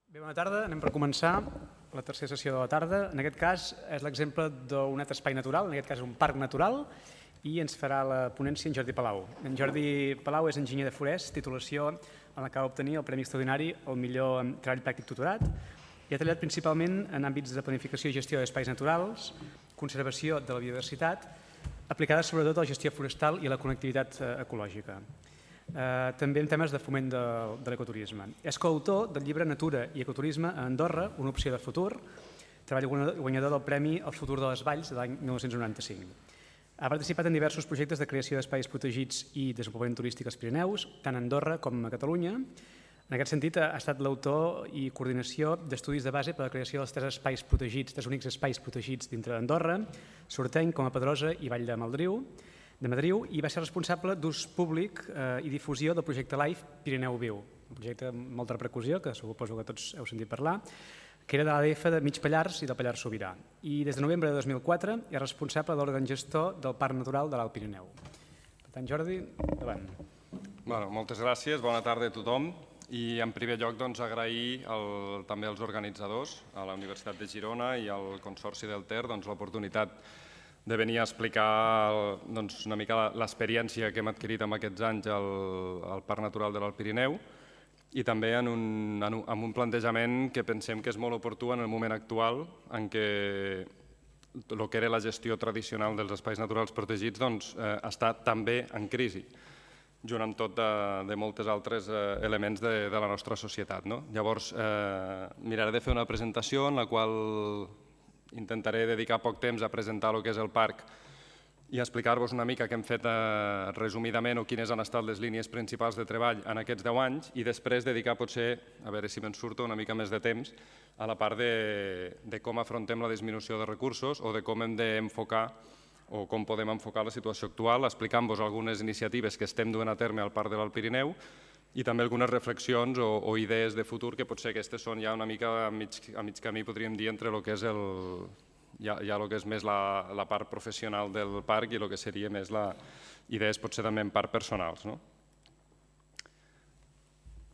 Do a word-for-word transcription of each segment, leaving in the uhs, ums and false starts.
Bé, bona tarda. Anem per començar la tercera sessió de la tarda. En aquest cas és l'exemple d'un altre espai natural, en aquest cas un parc natural, i ens farà la ponència en Jordi Palau. En Jordi Palau és enginyer de forest, titulació en la que va obtenir el Premi Extraordinari al millor treball pràctic tutorat i ha treballat principalment en àmbits de planificació i gestió d'espais naturals, conservació de la biodiversitat, aplicada sobretot a la gestió forestal i a la connectivitat ecològica. També en temes de foment de l'ecoturisme. És coautor del llibre Natura i ecoturisme a Andorra, una opció de futur, treball guanyador del Premi al futur de les valls de l'any mil nou-cents noranta-cinc. Ha participat en diversos projectes de creació d'espais protegits i desenvolupament turístic als Pirineus, tant a Andorra com a Catalunya. En aquest sentit, ha estat l'autor i coordinació d'estudis de base per a la creació dels tres espais protegits, tres únics espais protegits dintre d'Andorra, Sorteny, Coma Pedrosa i Vall de Maldriu, de Madriu, i va ser responsable d'ús públic i difusió del projecte LIFE Pirineu Viu, un projecte amb molta repercussió, que suposo que tots heu sentit parlar, que era de l'A D F de Mig Pallars i del Pallars Sobirà. I des de novembre de dos mil quatre és responsable de l'òrgan gestor del Parc Natural de l'Alt Pirineu. Per tant, Jordi, endavant. Moltes gràcies, bona tarda a tothom. I en primer lloc agrair també als organitzadors, a la Universitat de Girona i al Consorci del Ter, l'oportunitat de venir a explicar una mica l'experiència que hem adquirit en aquests anys al Parc Natural de l'Alt Pirineu i també amb un plantejament que pensem que és molt oportú en el moment actual en què el que era la gestió tradicional dels espais naturals protegits està també en crisi, junt amb tot de molts altres elements de la nostra societat. Llavors, miraré de fer una presentació en la qual intentaré dedicar poc temps a presentar el que és el parc i explicar-vos una mica què hem fet resumidament o quines han estat les línies principals de treball en aquests deu anys i després dedicar potser, a veure si me'n surto una mica més de temps, a la part de com afrontem la disminució de recursos o de com hem d'enfocar o com podem enfocar la situació actual, explicant-vos algunes iniciatives que estem duent a terme al Parc de l'Alt Pirineu i també algunes reflexions o idees de futur que potser aquestes són ja una mica a mig camí, podríem dir, entre el que és més la part professional del parc i el que seria més idees potser també en part personals.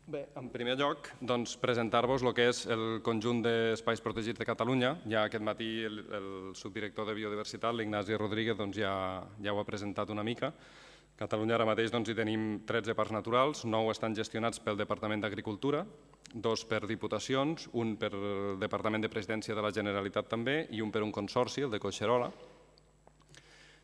Bé, en primer lloc, presentar-vos el que és el conjunt d'espais protegits de Catalunya. Ja aquest matí el subdirector de Biodiversitat, l'Ignasi Rodríguez, ja ho ha presentat una mica. A Catalunya ara mateix hi tenim tretze parcs naturals, nou estan gestionats pel Departament d'Agricultura, dos per diputacions, un per el Departament de Presidència de la Generalitat també i un per un consorci, el de Collserola.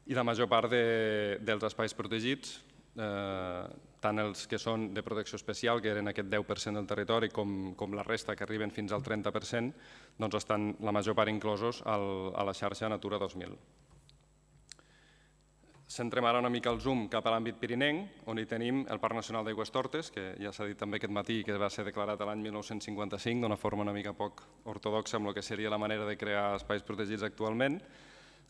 I la major part dels espais protegits, tant els que són de protecció especial, que eren aquest deu per cent del territori, com la resta, que arriben fins al trenta per cent, estan la major part inclosos a la xarxa Natura dos mil. Centrem ara una mica el zoom cap a l'àmbit pirinenc, on hi tenim el Parc Nacional d'Aigües Tortes, que ja s'ha dit també aquest matí que va ser declarat l'any mil nou-cents cinquanta-cinc d'una forma una mica poc ortodoxa amb el que seria la manera de crear espais protegits actualment.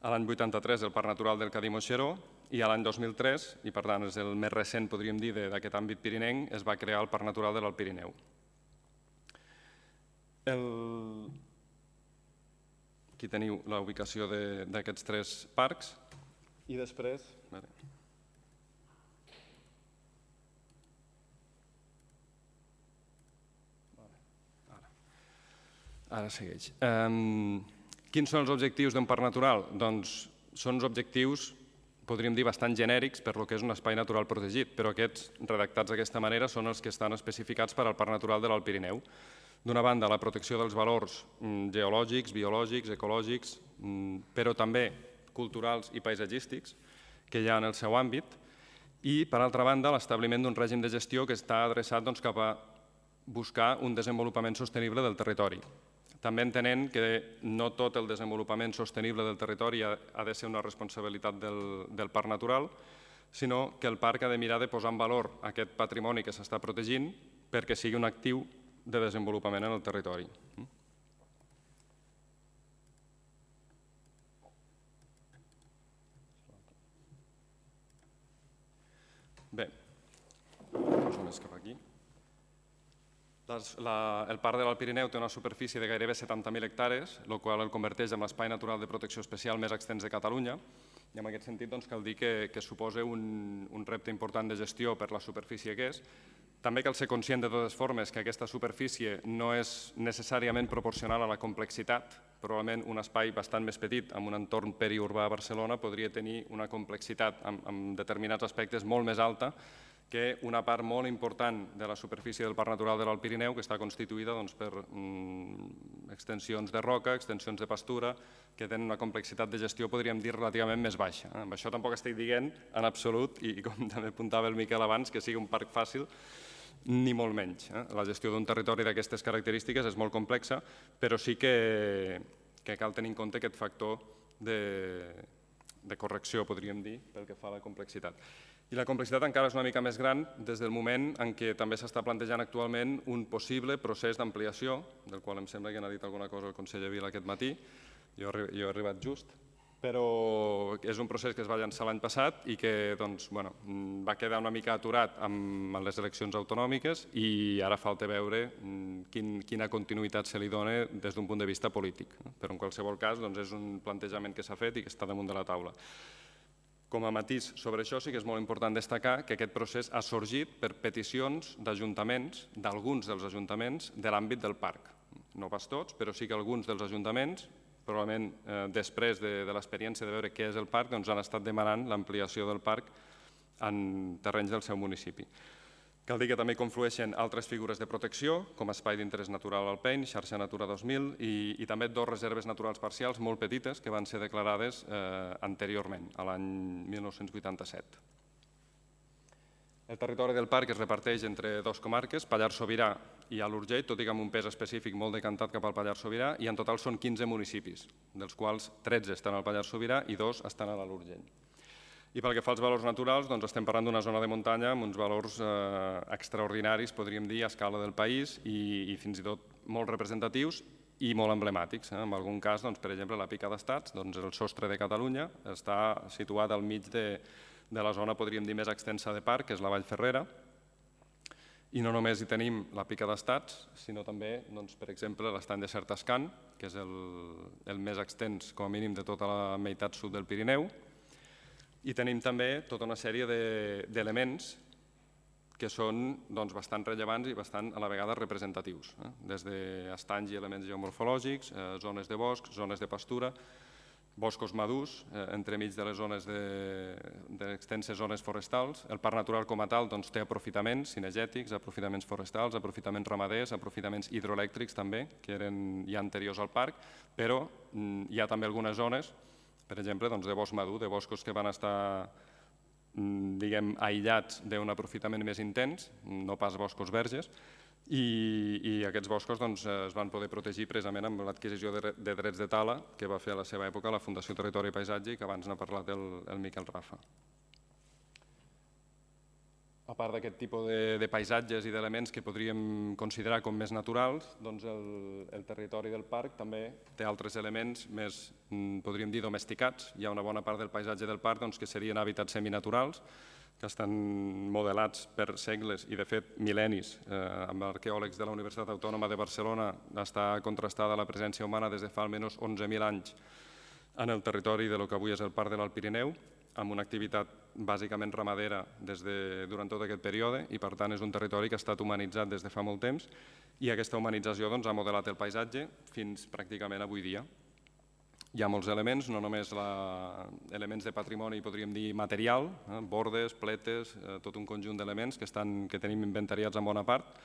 A l'any vuitanta-tres el Parc Natural del Cadí-Moixeró i a l'any dos mil tres, i per tant és el més recent, podríem dir, d'aquest àmbit pirinenc, es va crear el Parc Natural de l'Alt Pirineu. Aquí teniu la ubicació d'aquests tres parcs. I després... Ara segueix. Quins són els objectius d'un parc natural? Doncs són uns objectius, podríem dir, bastant genèrics per lo que és un espai natural protegit, però aquests, redactats d'aquesta manera, són els que estan especificats per al Parc Natural de l'Alt Pirineu. D'una banda, la protecció dels valors geològics, biològics, ecològics, però també culturals i paisatgístics que hi ha en el seu àmbit i, per altra banda, l'establiment d'un règim de gestió que està adreçat cap a buscar un desenvolupament sostenible del territori. També entenent que no tot el desenvolupament sostenible del territori ha de ser una responsabilitat del parc natural, sinó que el parc ha de mirar de posar en valor aquest patrimoni que s'està protegint perquè sigui un actiu de desenvolupament en el territori. Bé, poso més cap aquí. El Parc de l'Alt Pirineu té una superfície de gairebé setanta mil hectàrees, el qual el converteix en l'espai natural de protecció especial més extens de Catalunya. I en aquest sentit cal dir que suposa un repte important de gestió per la superfície que és, També cal ser conscient de totes formes que aquesta superfície no és necessàriament proporcional a la complexitat. Probablement un espai bastant més petit amb un entorn periurbà a Barcelona podria tenir una complexitat en determinats aspectes molt més alta que una part molt important de la superfície del Parc Natural de l'Alt Pirineu, que està constituïda per extensions de roca, extensions de pastura, que tenen una complexitat de gestió, podríem dir, relativament més baixa. Amb això tampoc estic dient, en absolut, i com també apuntava el Miquel abans, que sigui un parc fàcil, ni molt menys. La gestió d'un territori d'aquestes característiques és molt complexa, però sí que cal tenir en compte aquest factor de correcció, podríem dir, pel que fa a la complexitat. I la complexitat encara és una mica més gran des del moment en què també s'està plantejant actualment un possible procés d'ampliació, del qual em sembla que n'ha dit alguna cosa el conseller Vila aquest matí, jo he arribat just, però és un procés que es va llançar l'any passat i que va quedar una mica aturat amb les eleccions autonòmiques i ara falta veure quina continuïtat se li dona des d'un punt de vista polític. Però en qualsevol cas és un plantejament que s'ha fet i que està damunt de la taula. Com a matís sobre això sí que és molt important destacar que aquest procés ha sorgit per peticions d'ajuntaments, d'alguns dels ajuntaments de l'àmbit del parc. No pas tots, però sí que alguns dels ajuntaments, probablement després de l'experiència de veure què és el parc, han estat demanant l'ampliació del parc en terrenys del seu municipi. Cal dir que també conflueixen altres figures de protecció, com Espai d'Interès Natural Alpeny, Xarxa Natura dos mil i també dues reserves naturals parcials molt petites que van ser declarades anteriorment, a l'any mil nou-cents vuitanta-set. El territori del parc es reparteix entre dues comarques, Pallars Sobirà i Alt Urgell, tot i que amb un pes específic molt decantat cap al Pallars Sobirà, i en total són quinze municipis, dels quals tretze estan al Pallars Sobirà i dos estan a l'Alt Urgell. I pel que fa als valors naturals, estem parlant d'una zona de muntanya amb uns valors extraordinaris, podríem dir, a escala del país i fins i tot molt representatius i molt emblemàtics. En algun cas, per exemple, la Pica d'Estats, el sostre de Catalunya, està situat al mig de la zona, podríem dir, més extensa de parc, que és la Vall Ferrera. I no només hi tenim la Pica d'Estats, sinó també, per exemple, l'estany de Certascan, que és el més extens, com a mínim, de tota la meitat sud del Pirineu. I tenim també tota una sèrie d'elements que són bastant rellevants i bastant a la vegada representatius, des d'estanys i elements geomorfològics, zones de bosc, zones de pastura, boscos madurs, entremig de les zones d'extenses zones forestals. El parc natural com a tal té aprofitaments cinegètics, aprofitaments forestals, aprofitaments ramaders, aprofitaments hidroelèctrics també, que eren ja anteriors al parc, però hi ha també algunes zones, per exemple, de bosc madur, de boscos que van estar aïllats d'un aprofitament més intens, no pas boscos verges, i aquests boscos es van poder protegir precisament amb l'adquisició de drets de tala que va fer a la seva època la Fundació Territori i Paisatge, que abans n'ha parlat el Miquel Rafa. A part d'aquest tipus de paisatges i d'elements que podríem considerar com més naturals, el territori del parc també té altres elements més, podríem dir, domesticats. Hi ha una bona part del paisatge del parc que serien hàbitats seminaturals, que estan modelats per segles i, de fet, mil·lennis. Amb arqueòlegs de la Universitat Autònoma de Barcelona està contrastada la presència humana des de fa almenys onze mil anys en el territori del que avui és el Parc de l'Alt Pirineu, amb una activitat bàsicament ramadera durant tot aquest període i, per tant, és un territori que ha estat humanitzat des de fa molt temps i aquesta humanització ha modelat el paisatge fins pràcticament avui dia. Hi ha molts elements, no només elements de patrimoni, podríem dir, material, bordes, pletes, tot un conjunt d'elements que tenim inventariats en bona part,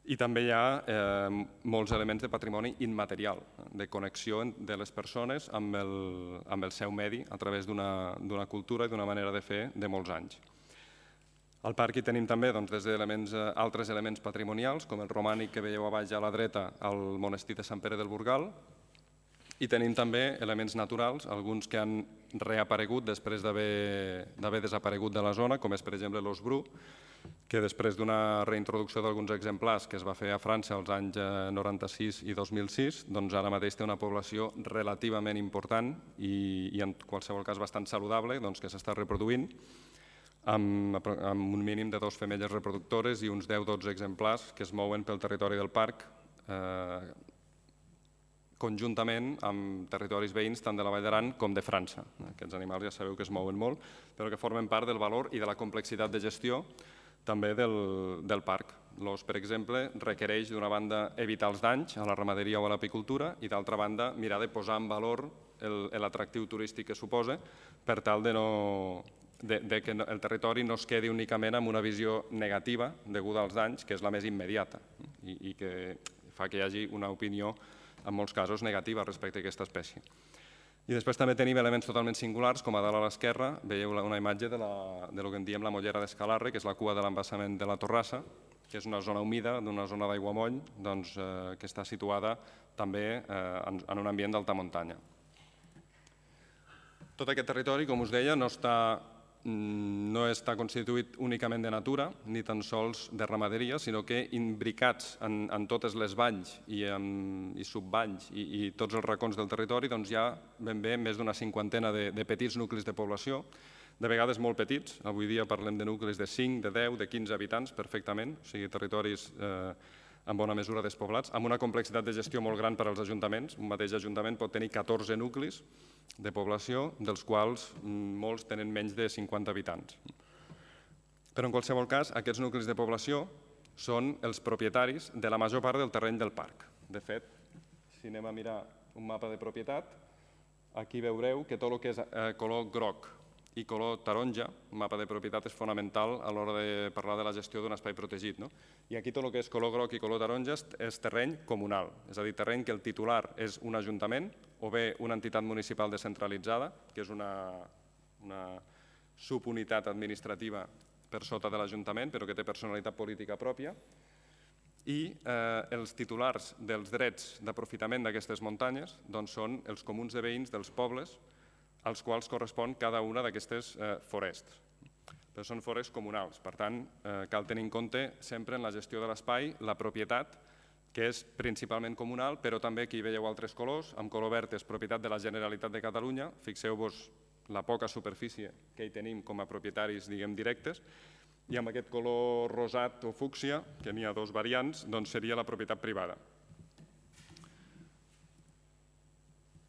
i també hi ha molts elements de patrimoni immaterial, de connexió de les persones amb el seu medi a través d'una cultura i d'una manera de fer de molts anys. Al parc hi tenim també altres elements patrimonials, com el romànic que veieu a baix a la dreta al monestir de Sant Pere del Burgal, i tenim també elements naturals, alguns que han reaparegut després d'haver desaparegut de la zona, com és, per exemple, l'ós bru, que després d'una reintroducció d'alguns exemplars que es va fer a França als anys noranta-sis i dos mil sis, doncs ara mateix té una població relativament important i en qualsevol cas bastant saludable, que s'està reproduint amb un mínim de dues femelles reproductores i uns deu a dotze exemplars que es mouen pel territori del parc conjuntament amb territoris veïns tant de la Vall d'Aran com de França. Aquests animals ja sabeu que es mouen molt, però que formen part del valor i de la complexitat de gestió també del parc. L'os, per exemple, requereix d'una banda evitar els danys a la ramaderia o a l'apicultura i d'altra banda mirar de posar en valor l'atractiu turístic que suposa per tal de que el territori no es quedi únicament amb una visió negativa deguda als danys, que és la més immediata i que fa que hi hagi una opinió en molts casos negativa respecte a aquesta espècie. I després també tenim elements totalment singulars, com a dalt a l'esquerra veieu una imatge del que en diem la mollera d'Escalarre, que és la cua de l'embassament de la Torrassa, que és una zona humida, d'una zona d'aiguamoll que està situada també en un ambient d'alta muntanya. Tot aquest territori, com us deia, no està constituït únicament de natura, ni tan sols de ramaderia, sinó que imbricats en totes les valls i subvalls i tots els racons del territori hi ha ben bé més d'una cinquantena de petits nuclis de població, de vegades molt petits. Avui dia parlem de nuclis de cinc, de deu, de quinze habitants perfectament, o sigui, territoris en bona mesura despoblats, amb una complexitat de gestió molt gran per als ajuntaments. Un mateix ajuntament pot tenir catorze nuclis de població, dels quals molts tenen menys de cinquanta habitants. Però en qualsevol cas, aquests nuclis de població són els propietaris de la major part del terreny del parc. De fet, si anem a mirar un mapa de propietat, aquí veureu que tot el que és color groc i color taronja, un mapa de propietat és fonamental a l'hora de parlar de la gestió d'un espai protegit. I aquí tot el que és color groc i color taronja és terreny comunal, és a dir, terreny que el titular és un ajuntament o bé una entitat municipal descentralitzada, que és una subunitat administrativa per sota de l'Ajuntament, però que té personalitat política pròpia, i els titulars dels drets d'aprofitament d'aquestes muntanyes són els comuns de veïns dels pobles als quals correspon cada una d'aquestes forests. Però són forests comunals, per tant, cal tenir en compte sempre en la gestió de l'espai la propietat, que és principalment comunal, però també aquí veieu altres colors. Amb color verd és propietat de la Generalitat de Catalunya. Fixeu-vos la poca superfície que hi tenim com a propietaris, diguem, directes. I amb aquest color rosat o fúcsia, que n'hi ha dos variants, doncs seria la propietat privada.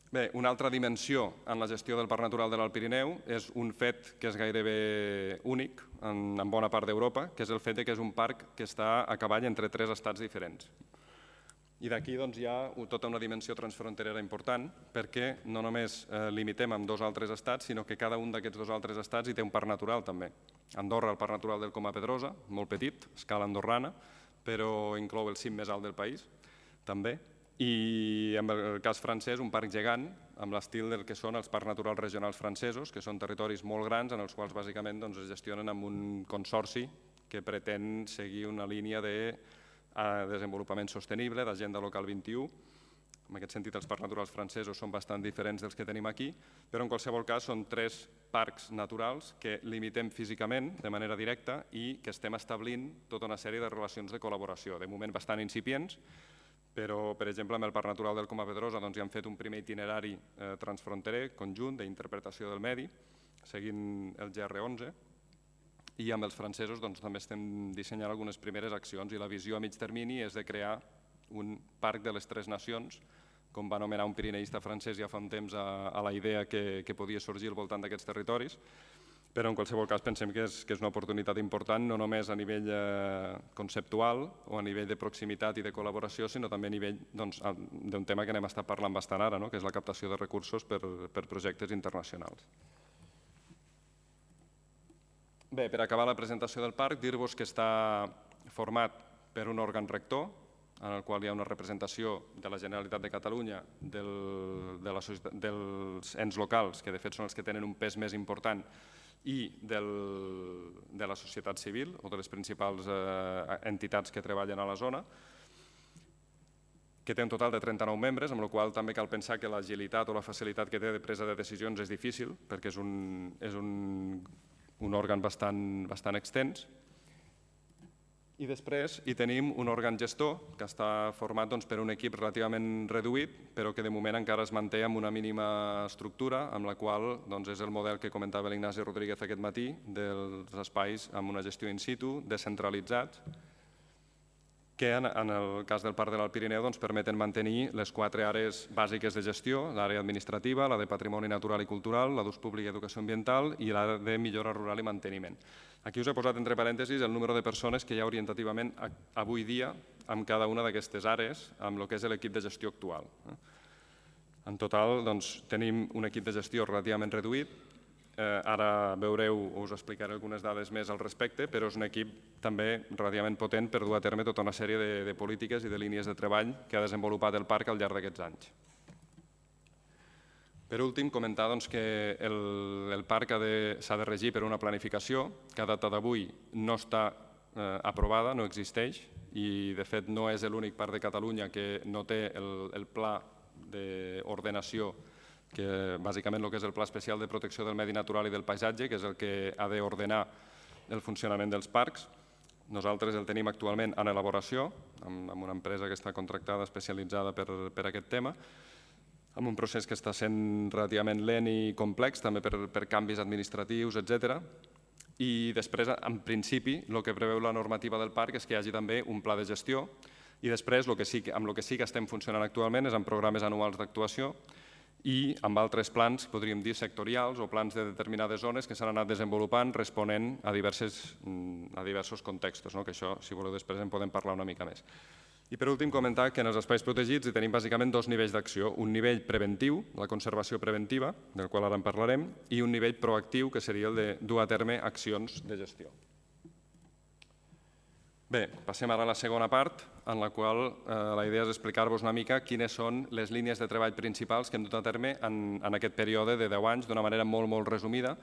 Bé, una altra dimensió en la gestió del Parc Natural de l'Alt Pirineu és un fet que és gairebé únic en bona part d'Europa, que és el fet que és un parc que està a cavall entre tres estats diferents. I d'aquí hi ha tota una dimensió transfronterera important, perquè no només limitem amb dos altres estats, sinó que cada un d'aquests dos altres estats hi té un parc natural també. Andorra, el Parc Natural del Coma Pedrosa, molt petit, escala andorrana, però inclou el cim més alt del país, també. I en el cas francès, un parc gegant, amb l'estil del que són els parcs naturals regionals francesos, que són territoris molt grans en els quals bàsicament es gestionen amb un consorci que pretén seguir una línia de desenvolupament sostenible, d'Agenda Local vint-i-u. En aquest sentit, els parcs naturals francesos són bastant diferents dels que tenim aquí, però en qualsevol cas són tres parcs naturals que limitem físicament de manera directa i que estem establint tota una sèrie de relacions de col·laboració, de moment bastant incipients, però, per exemple, amb el Parc Natural del Coma Pedrosa hi hem fet un primer itinerari transfronterer conjunt d'interpretació del medi, seguint el G R onze, i amb els francesos també estem dissenyant algunes primeres accions i la visió a mig termini és de crear un parc de les tres nacions, com va anomenar un pirineista francès ja fa un temps a la idea que podia sorgir al voltant d'aquests territoris, però en qualsevol cas pensem que és una oportunitat important no només a nivell conceptual o a nivell de proximitat i de col·laboració, sinó també a nivell d'un tema que n'hem estat parlant bastant ara, que és la captació de recursos per projectes internacionals. Bé, per acabar la presentació del parc, dir-vos que està format per un òrgan rector, en el qual hi ha una representació de la Generalitat de Catalunya, dels ens locals, que de fet són els que tenen un pes més important, i de la societat civil o de les principals entitats que treballen a la zona, que té un total de trenta-nou membres, amb la qual cosa també cal pensar que l'agilitat o la facilitat que té de presa de decisions és difícil, perquè és un òrgan bastant extens. I després hi tenim un òrgan gestor que està format per un equip relativament reduït, però que de moment encara es manté amb una mínima estructura, amb la qual és el model que comentava l'Ignasi Rodríguez aquest matí, dels espais amb una gestió in situ, descentralitzats, que en el cas del Parc de l'Alt Pirineu permeten mantenir les quatre àrees bàsiques de gestió, l'àrea administrativa, la de patrimoni natural i cultural, la d'ús públic i educació ambiental i l'àrea de millora rural i manteniment. Aquí us he posat entre parèntesis el número de persones que hi ha orientativament avui dia en cada una d'aquestes àrees amb el que és l'equip de gestió actual. En total tenim un equip de gestió relativament reduït. Ara veureu, us explicaré algunes dades més al respecte, però és un equip també relativament potent per dur a terme tota una sèrie de polítiques i de línies de treball que ha desenvolupat el parc al llarg d'aquests anys. Per últim, comentar que el parc s'ha de regir per una planificació que a data d'avui no està aprovada, no existeix, i de fet no és l'únic parc de Catalunya que no té el pla d'ordenació, que bàsicament el que és el Pla Especial de Protecció del Medi Natural i del Paisatge, que és el que ha d'ordenar el funcionament dels parcs. Nosaltres el tenim actualment en elaboració, amb una empresa que està contractada especialitzada per aquest tema, amb un procés que està sent relativament lent i complex, també per canvis administratius, etcètera. I després, en principi, el que preveu la normativa del parc és que hi hagi també un pla de gestió i després, amb el que sí que estem funcionant actualment és amb programes anuals d'actuació i amb altres plans, podríem dir, sectorials o plans de determinades zones que s'han anat desenvolupant responent a diversos contextos, que això, si voleu, després en podem parlar una mica més. I per últim, comentar que en els espais protegits hi tenim bàsicament dos nivells d'acció, un nivell preventiu, la conservació preventiva, del qual ara en parlarem, i un nivell proactiu, que seria el de dur a terme accions de gestió. Bé, passem ara a la segona part, en la qual la idea és explicar-vos una mica quines són les línies de treball principals que hem dut a terme en aquest període de deu anys d'una manera molt, molt resumida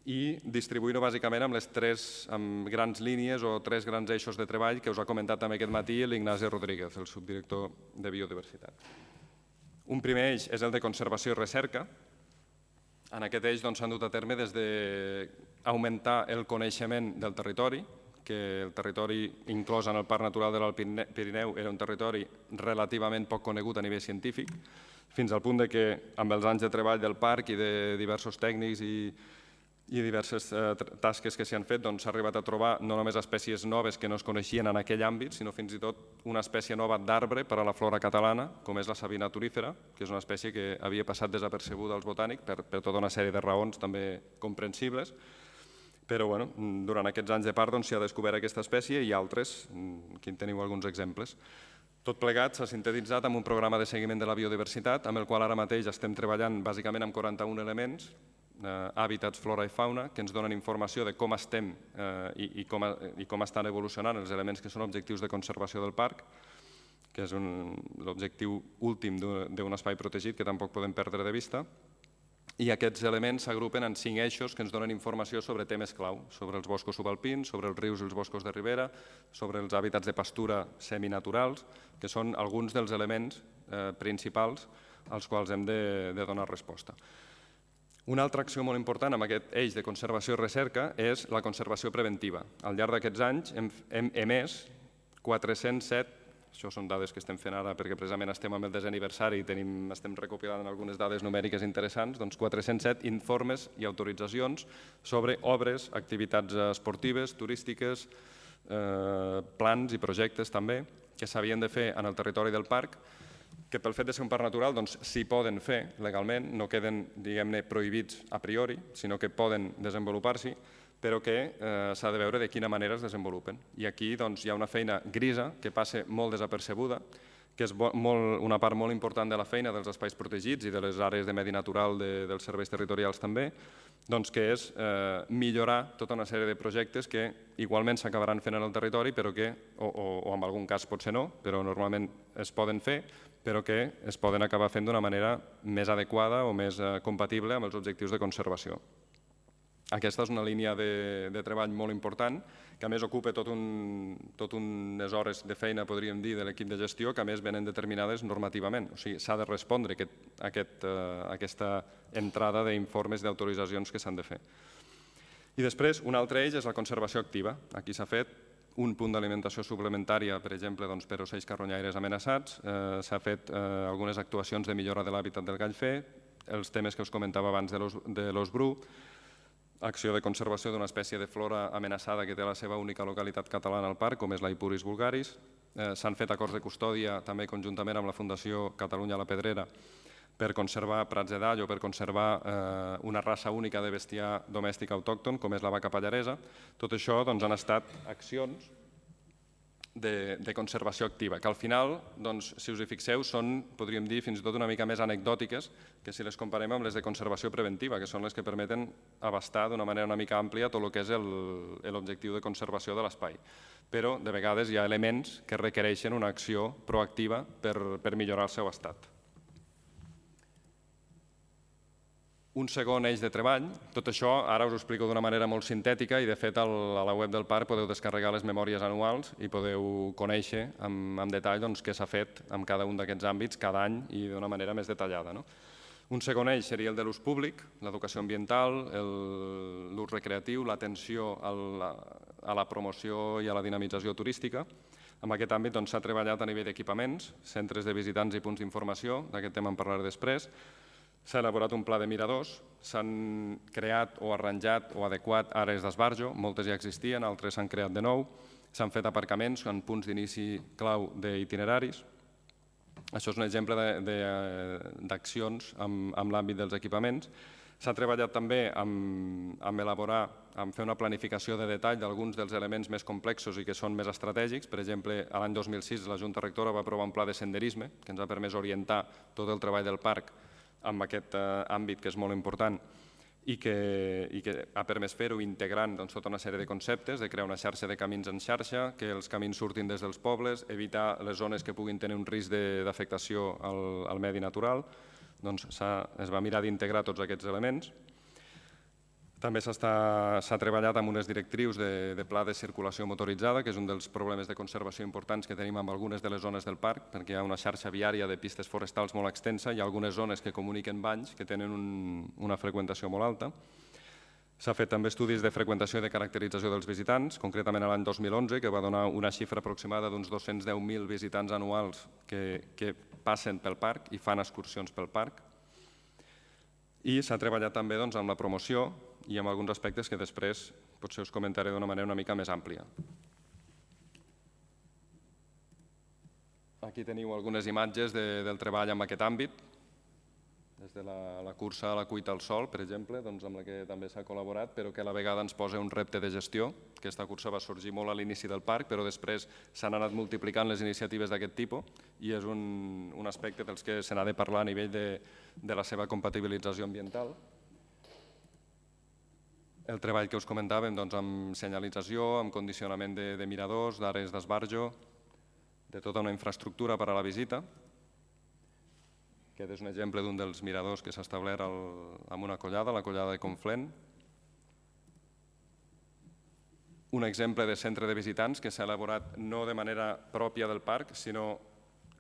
i distribuir-ho bàsicament amb les tres grans línies o tres grans eixos de treball que us ha comentat també aquest matí l'Ignasi Rodríguez, el subdirector de Biodiversitat. Un primer eix és el de conservació i recerca. En aquest eix s'han dut a terme des d'augmentar el coneixement del territori, que el territori inclòs en el Parc Natural de l'Alt Pirineu era un territori relativament poc conegut a nivell científic, fins al punt que amb els anys de treball del parc i de diversos tècnics i diverses tasques que s'hi han fet s'ha arribat a trobar no només espècies noves que no es coneixien en aquell àmbit, sinó fins i tot una espècie nova d'arbre per a la flora catalana, com és la sabina turífera, que és una espècie que havia passat desapercebuda als botànics per tota una sèrie de raons també comprensibles. Però durant aquests anys de parc s'hi ha descobert aquesta espècie i altres, aquí en teniu alguns exemples. Tot plegat s'ha sintetitzat amb un programa de seguiment de la biodiversitat, amb el qual ara mateix estem treballant bàsicament amb quaranta-un elements, hàbitats, flora i fauna, que ens donen informació de com estem i com estan evolucionant els elements que són objectius de conservació del parc, que és l'objectiu últim d'un espai protegit que tampoc podem perdre de vista. I aquests elements s'agrupen en cinc eixos que ens donen informació sobre temes clau, sobre els boscos subalpins, sobre els rius i els boscos de ribera, sobre els hàbitats de pastura seminaturals, que són alguns dels elements principals als quals hem de donar resposta. Una altra acció molt important en aquest eix de conservació i recerca és la conservació preventiva. Al llarg d'aquests anys hem emès quatre-cents set, això són dades que estem fent ara perquè precisament estem amb el desè aniversari i estem recopilant algunes dades numèriques interessants, doncs quatre-cents set informes i autoritzacions sobre obres, activitats esportives, turístiques, plans i projectes també, que s'havien de fer en el territori del parc, que pel fet de ser un parc natural s'hi poden fer legalment, no queden, diguem-ne, prohibits a priori, sinó que poden desenvolupar-s'hi, però que s'ha de veure de quina manera es desenvolupen. I aquí hi ha una feina grisa que passa molt desapercebuda, que és una part molt important de la feina dels espais protegits i de les àrees de medi natural dels serveis territorials també, que és millorar tota una sèrie de projectes que igualment s'acabaran fent en el territori, o en algun cas potser no, però normalment es poden fer, però que es poden acabar fent d'una manera més adequada o més compatible amb els objectius de conservació. Aquesta és una línia de treball molt important, que a més ocupa tot unes hores de feina, podríem dir, de l'equip de gestió, que a més venen determinades normativament. O sigui, s'ha de respondre a aquesta entrada d'informes i d'autoritzacions que s'han de fer. I després, un altre eix és la conservació activa. Aquí s'ha fet un punt d'alimentació suplementària, per exemple, per ocells carronyaires amenaçats, s'ha fet algunes actuacions de millora de l'hàbitat del gall fer, els temes que us comentava abans de l'ós bru, acció de conservació d'una espècie de flora amenaçada que té la seva única localitat catalana al parc, com és l'Aipuris vulgaris. S'han fet acords de custòdia també conjuntament amb la Fundació Catalunya La Pedrera per conservar prats de dall o per conservar una raça única de bestiar domèstic autòcton, com és la vaca pallaresa. Tot això han estat accions de conservació activa, que al final, si us hi fixeu, són, podríem dir, fins i tot una mica més anecdòtiques que si les comparem amb les de conservació preventiva, que són les que permeten abastar d'una manera una mica àmplia tot el que és l'objectiu de conservació de l'espai. Però, de vegades, hi ha elements que requereixen una acció proactiva per millorar el seu estat. Un segon eix de treball, tot això ara us ho explico d'una manera molt sintètica i de fet a la web del parc podeu descarregar les memòries anuals i podeu conèixer amb detall què s'ha fet en cada un d'aquests àmbits cada any i d'una manera més detallada. Un segon eix seria el de l'ús públic, l'educació ambiental, l'ús recreatiu, l'atenció a la promoció i a la dinamització turística. En aquest àmbit s'ha treballat a nivell d'equipaments, centres de visitants i punts d'informació, d'aquest tema en parlaré després. S'ha elaborat un pla de miradors, s'han creat o arranjat o adequat àrees d'esbarjo, moltes ja existien, altres s'han creat de nou, s'han fet aparcaments en punts d'inici clau d'itineraris. Això és un exemple d'accions en l'àmbit dels equipaments. S'ha treballat també en elaborar, en fer una planificació de detall d'alguns dels elements més complexos i que són més estratègics. Per exemple, l'any dos mil sis la Junta Rectora va aprovar un pla de senderisme que ens ha permès orientar tot el treball del parc en aquest àmbit que és molt important i que ha permès fer-ho integrant tota una sèrie de conceptes, de crear una xarxa de camins en xarxa, que els camins surtin des dels pobles, evitar les zones que puguin tenir un risc d'afectació al medi natural. Doncs es va mirar d'integrar tots aquests elements. També s'ha treballat amb unes directrius de pla de circulació motoritzada, que és un dels problemes de conservació importants que tenim en algunes de les zones del parc, perquè hi ha una xarxa viària de pistes forestals molt extensa, hi ha algunes zones que comuniquen banys que tenen una freqüentació molt alta. S'ha fet també estudis de freqüentació i de caracterització dels visitants, concretament l'any dos mil onze, que va donar una xifra aproximada d'uns dos-cents deu mil visitants anuals que passen pel parc i fan excursions pel parc. I s'ha treballat també amb la promoció i amb alguns aspectes que després potser us comentaré d'una manera una mica més àmplia. Aquí teniu algunes imatges del treball en aquest àmbit, des de la cursa a la cuita al sol, per exemple, amb la que també s'ha col·laborat, però que a la vegada ens posa un repte de gestió. Aquesta cursa va sorgir molt a l'inici del parc, però després s'han anat multiplicant les iniciatives d'aquest tipus i és un aspecte dels que se n'ha de parlar a nivell de la seva compatibilització ambiental. El treball que us comentàvem amb senyalització, amb condicionament de miradors, d'àrees d'esbarjo, de tota una infraestructura per a la visita. Aquest és un exemple d'un dels miradors que s'ha establert en una collada, la collada de Conflent. Un exemple de centre de visitants que s'ha elaborat no de manera pròpia del parc, sinó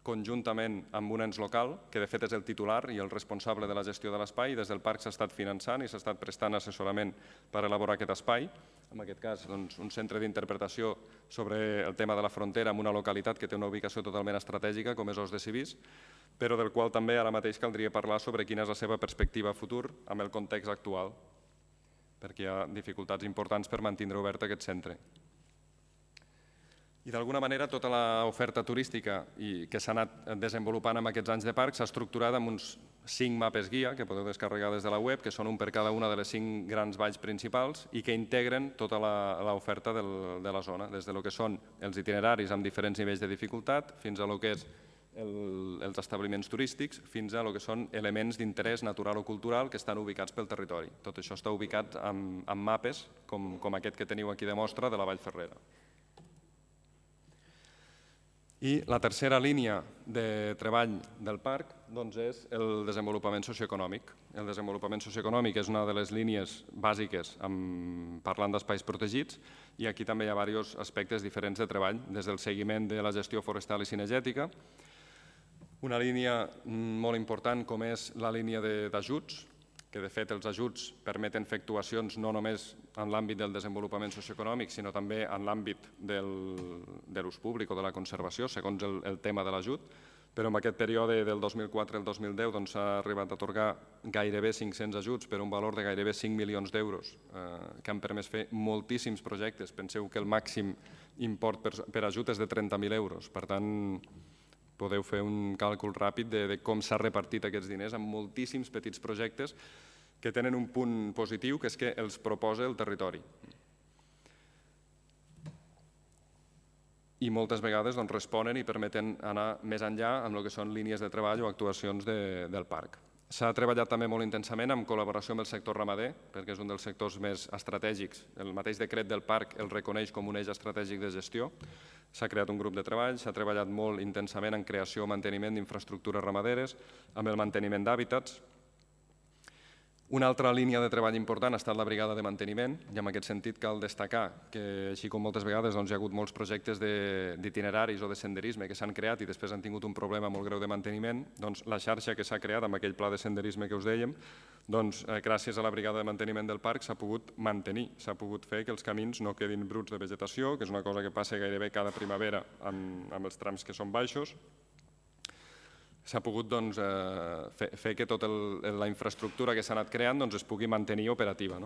conjuntament amb un ens local, que de fet és el titular i el responsable de la gestió de l'espai, i des del parc s'ha estat finançant i s'ha estat prestant assessorament per elaborar aquest espai. En aquest cas, un centre d'interpretació sobre el tema de la frontera en una localitat que té una ubicació totalment estratègica, com és Os de Civís, però del qual també ara mateix caldria parlar sobre quina és la seva perspectiva futur amb el context actual, perquè hi ha dificultats importants per mantenir obert aquest centre. I d'alguna manera tota l'oferta turística que s'ha anat desenvolupant en aquests anys de parc s'ha estructurat en uns cinc mapes guia que podeu descarregar des de la web, que són un per cada una de les cinc grans valls principals i que integren tota l'oferta de la zona, des del que són els itineraris amb diferents nivells de dificultat fins a el que és els establiments turístics, fins a el que són elements d'interès natural o cultural que estan ubicats pel territori. Tot això està ubicat en mapes com aquest que teniu aquí de mostra de la Vall Ferrera. I la tercera línia de treball del parc és el desenvolupament socioeconòmic. El desenvolupament socioeconòmic és una de les línies bàsiques parlant d'espais protegits i aquí també hi ha diversos aspectes diferents de treball, des del seguiment de la gestió forestal i cinegètica, una línia molt important com és la línia d'ajuts, que de fet els ajuts permeten fer actuacions no només en l'àmbit del desenvolupament socioeconòmic, sinó també en l'àmbit de l'ús públic o de la conservació, segons el tema de l'ajut. però en aquest període del dos mil quatre al dos mil deu s'ha arribat a atorgar gairebé cinc-cents ajuts per un valor de gairebé cinc milions d'euros que han permès fer moltíssims projectes. Penseu que el màxim import per ajut és de trenta mil euros. Per tant, podeu fer un càlcul ràpid de com s'ha repartit aquests diners en moltíssims petits projectes que tenen un punt positiu, que és que els proposa el territori. I moltes vegades responen i permeten anar més enllà amb el que són línies de treball o actuacions del parc. S'ha treballat també molt intensament en col·laboració amb el sector ramader, perquè és un dels sectors més estratègics. El mateix decret del parc el reconeix com un eix estratègic de gestió. S'ha creat un grup de treball, s'ha treballat molt intensament en creació o manteniment d'infraestructures ramaderes, amb el manteniment d'hàbitats. Una altra línia de treball important ha estat la brigada de manteniment, i en aquest sentit cal destacar que, així com moltes vegades hi ha hagut molts projectes d'itineraris o de senderisme que s'han creat i després han tingut un problema molt greu de manteniment, doncs la xarxa que s'ha creat amb aquell pla de senderisme que us dèiem, doncs gràcies a la brigada de manteniment del parc s'ha pogut mantenir, s'ha pogut fer que els camins no quedin bruts de vegetació, que és una cosa que passa gairebé cada primavera amb els trams que són baixos. S'ha pogut fer que tota la infraestructura que s'ha anat creant es pugui mantenir operativa.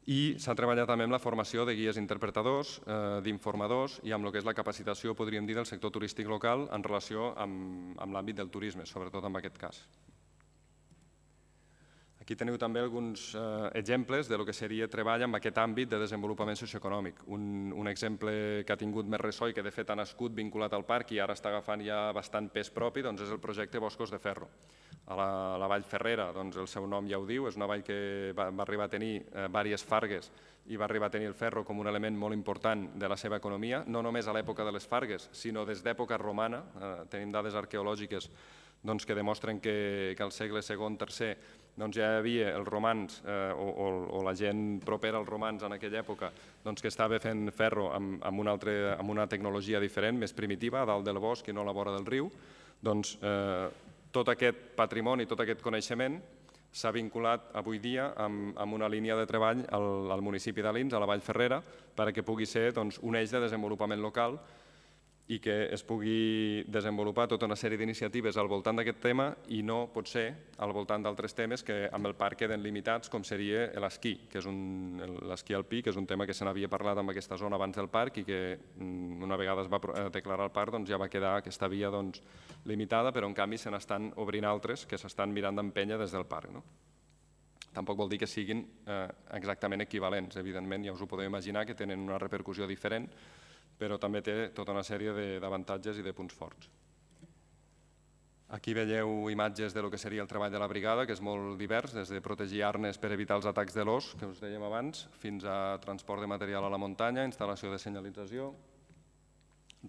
I s'ha treballat també amb la formació de guies interpretadors, d'informadors i amb el que és la capacitació, podríem dir, del sector turístic local en relació amb l'àmbit del turisme, sobretot en aquest cas. Aquí teniu també alguns exemples del que seria treball en aquest àmbit de desenvolupament socioeconòmic. Un exemple que ha tingut més ressò i que de fet ha nascut vinculat al parc i ara està agafant ja bastant pes propi és el projecte Boscos de Ferro. A la Vall Ferrera, el seu nom ja ho diu, és una vall que va arribar a tenir diverses fargues i va arribar a tenir el ferro com un element molt important de la seva economia, no només a l'època de les fargues, sinó des d'època romana. Tenim dades arqueològiques que demostren que al segle segon tercer ja hi havia els romans o la gent propera als romans en aquella època que estava fent ferro amb una tecnologia diferent, més primitiva, a dalt del bosc i no a la vora del riu. Doncs tot aquest patrimoni, tot aquest coneixement s'ha vinculat avui dia amb una línia de treball al municipi d'Alins, a la Vall Ferrera, perquè pugui ser un eix de desenvolupament local i que es pugui desenvolupar tota una sèrie d'iniciatives al voltant d'aquest tema i no, potser, al voltant d'altres temes que amb el parc queden limitats, com seria l'esquí, que és l'esquí alpí, que és un tema que se n'havia parlat en aquesta zona abans del parc i que una vegada es va declarar el parc ja va quedar aquesta via limitada, però en canvi se n'estan obrint altres que s'estan mirant d'empènyer des del parc. Tampoc vol dir que siguin exactament equivalents, evidentment, ja us ho podeu imaginar, que tenen una repercussió diferent, però també té tota una sèrie d'avantatges i de punts forts. Aquí veieu imatges del que seria el treball de la brigada, que és molt divers, des de protegir arnes per evitar els atacs de l'ós, que us dèiem abans, fins a transport de material a la muntanya, instal·lació de senyalització,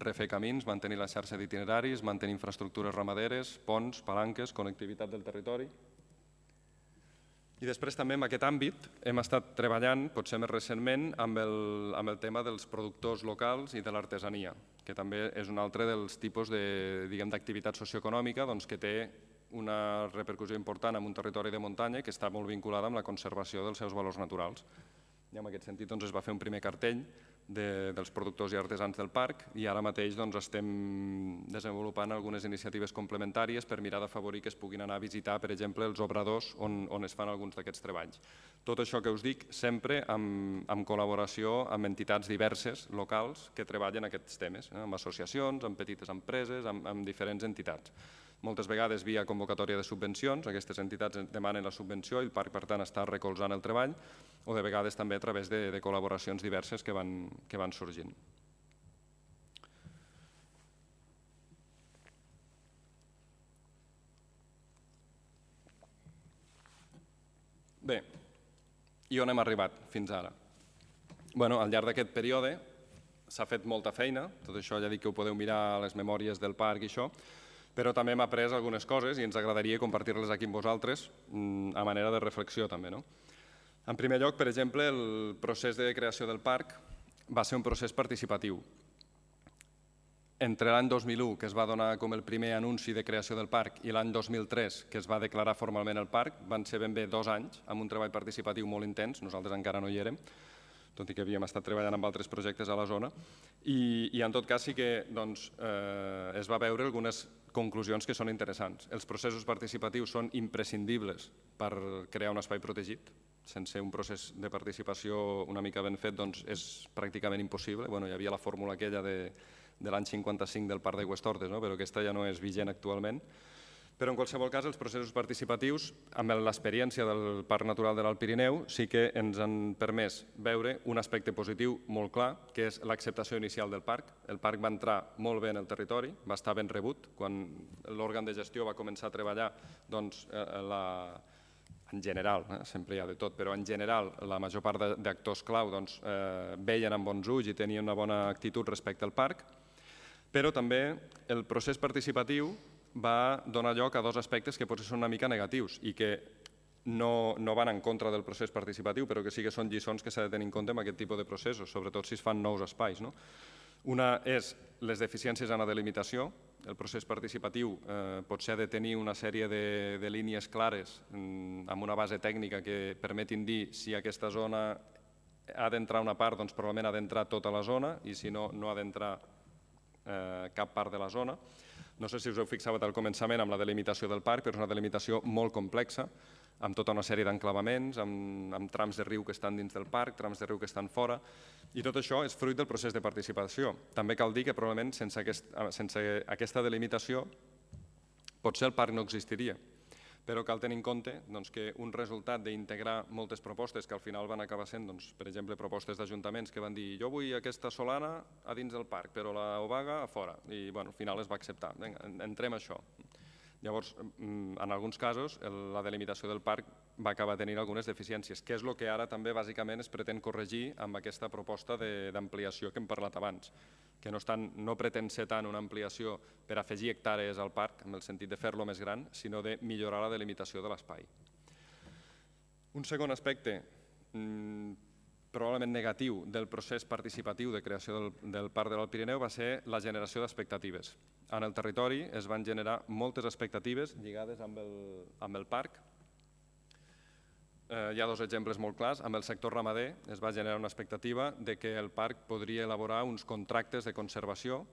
refer camins, mantenir la xarxa d'itineraris, mantenir infraestructures ramaderes, ponts, palanques, connectivitat del territori. I després també en aquest àmbit hem estat treballant, potser més recentment, amb el tema dels productors locals i de l'artesania, que també és un altre dels tipus d'activitat socioeconòmica que té una repercussió important en un territori de muntanya que està molt vinculada amb la conservació dels seus valors naturals. I en aquest sentit es va fer un primer cartell dels productors i artesans del parc i ara mateix estem desenvolupant algunes iniciatives complementàries per mirar d'afavorir que es puguin anar a visitar, per exemple, els obradors on es fan alguns d'aquests treballs. Tot això que us dic sempre en col·laboració amb entitats diverses, locals, que treballen aquests temes, amb associacions, amb petites empreses, amb diferents entitats. Moltes vegades via convocatòria de subvencions, aquestes entitats demanen la subvenció i el parc, per tant, està recolzant el treball, o de vegades també a través de col·laboracions diverses que van sorgint. Bé, i on hem arribat fins ara? Al llarg d'aquest període s'ha fet molta feina, tot això ja dic que ho podeu mirar a les memòries del parc i això, però també hem après algunes coses i ens agradaria compartir-les aquí amb vosaltres a manera de reflexió també. En primer lloc, per exemple, el procés de creació del parc va ser un procés participatiu. Entre l'any dos mil u, que es va donar com el primer anunci de creació del parc, i l'any dos mil tres, que es va declarar formalment el parc, van ser ben bé dos anys amb un treball participatiu molt intens, nosaltres encara no hi érem, tot i que havíem estat treballant amb altres projectes a la zona, i, i en tot cas sí que doncs, eh, es va veure algunes conclusions que són interessants. Els processos participatius són imprescindibles per crear un espai protegit. Sense un procés de participació una mica ben fet doncs, és pràcticament impossible. Bueno, hi havia la fórmula aquella de, de l'any cinquanta-cinc del Parc d'Aigüestortes, no? Però aquesta ja no és vigent actualment. Però en qualsevol cas els processos participatius, amb l'experiència del Parc Natural de l'Alt Pirineu, sí que ens han permès veure un aspecte positiu molt clar, que és l'acceptació inicial del parc. El parc va entrar molt bé en el territori, va estar ben rebut. Quan l'òrgan de gestió va començar a treballar, doncs, la, en general, eh, sempre hi ha de tot, però en general la major part d'actors clau doncs, eh, veien amb bons ulls i tenien una bona actitud respecte al parc, però també el procés participatiu va donar lloc a dos aspectes que potser són una mica negatius i que no, no van en contra del procés participatiu, però que sí que són lliçons que s'ha de tenir en compte en aquest tipus de processos, sobretot si es fan nous espais. No? Una és les deficiències en la delimitació. El procés participatiu eh, potser ha de tenir una sèrie de, de línies clares mm, amb una base tècnica que permetin dir si aquesta zona ha d'entrar una part, doncs probablement ha d'entrar tota la zona i si no, no ha d'entrar eh, cap part de la zona. No sé si us heu fixat al començament amb la delimitació del parc, però és una delimitació molt complexa, amb tota una sèrie d'enclavaments, amb, amb trams de riu que estan dins del parc, trams de riu que estan fora, i tot això és fruit del procés de participació. També cal dir que probablement sense, aquest, sense aquesta delimitació potser el parc no existiria, però cal tenir en compte doncs, que un resultat d'integrar moltes propostes que al final van acabar sent, doncs, per exemple, propostes d'ajuntaments que van dir jo vull aquesta solana a dins del parc, però la obaga a fora, i bueno, al final es va acceptar. Vinga, entrem a això. Llavors, en alguns casos, la delimitació del parc va acabar tenint algunes deficiències, que és el que ara també bàsicament es pretén corregir amb aquesta proposta d'ampliació que hem parlat abans, que no, estan, no pretén ser tant una ampliació per afegir hectàrees al parc, en el sentit de fer-lo més gran, sinó de millorar la delimitació de l'espai. Un segon aspecte mmm, probablement negatiu del procés participatiu de creació del, del Parc de l'Alt Pirineu va ser la generació d'expectatives. En el territori es van generar moltes expectatives lligades amb el, amb el parc. Eh, hi ha dos exemples molt clars. Amb el sector ramader es va generar una expectativa de que el parc podria elaborar uns contractes de conservació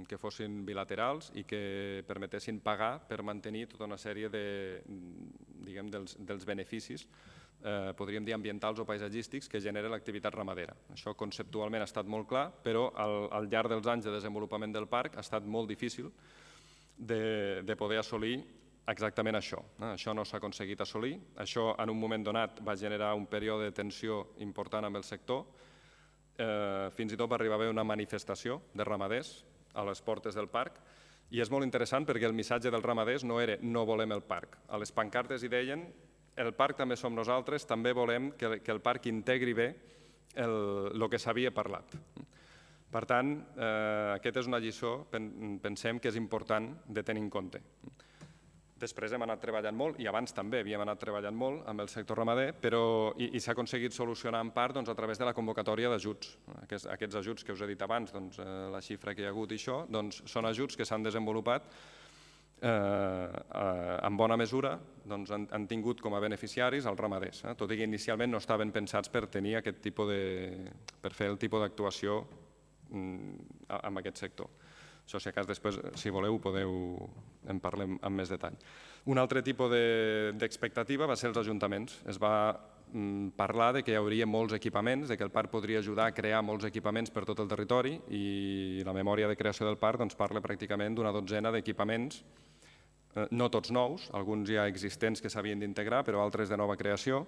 que fossin bilaterals i que permetessin pagar per mantenir tota una sèrie de, diguem, dels, dels beneficis, eh, podríem dir ambientals o paisatgístics, que genera l'activitat ramadera. Això conceptualment ha estat molt clar, però al, al llarg dels anys de desenvolupament del parc ha estat molt difícil de, de poder assolir exactament això. Això no s'ha aconseguit assolir. Això en un moment donat va generar un període de tensió important amb el sector. Eh, fins i tot va arribar a haver una manifestació de ramaders a les portes del parc, i és molt interessant perquè el missatge dels ramaders no era no volem el parc. A les pancartes hi deien el parc també som nosaltres, també volem que, que el parc integri bé el, el que s'havia parlat. Per tant, eh, aquesta és una lliçó, pensem que és important de tenir en compte. Després hem anat treballant molt, i abans també havíem anat treballant molt amb el sector ramader, però, i, i s'ha aconseguit solucionar en part doncs, a través de la convocatòria d'ajuts. Aquests, aquests ajuts que us he dit abans, doncs, eh, la xifra que hi ha hagut i això, doncs, són ajuts que s'han desenvolupat eh, eh, en bona mesura, doncs, han, han tingut com a beneficiaris els ramaders, eh, tot i que inicialment no estaven pensats per tenir aquest tipus de, per fer el tipus d'actuació mm, amb aquest sector. Això, si a cas després, si voleu, podeu, en parlem amb més detall. Un altre tipus d'expectativa va ser els ajuntaments. Es va parlar de que hi hauria molts equipaments, de que el parc podria ajudar a crear molts equipaments per tot el territori, i la memòria de creació del parc doncs, parla pràcticament d'una dotzena d'equipaments, no tots nous, alguns ja existents que s'havien d'integrar, però altres de nova creació.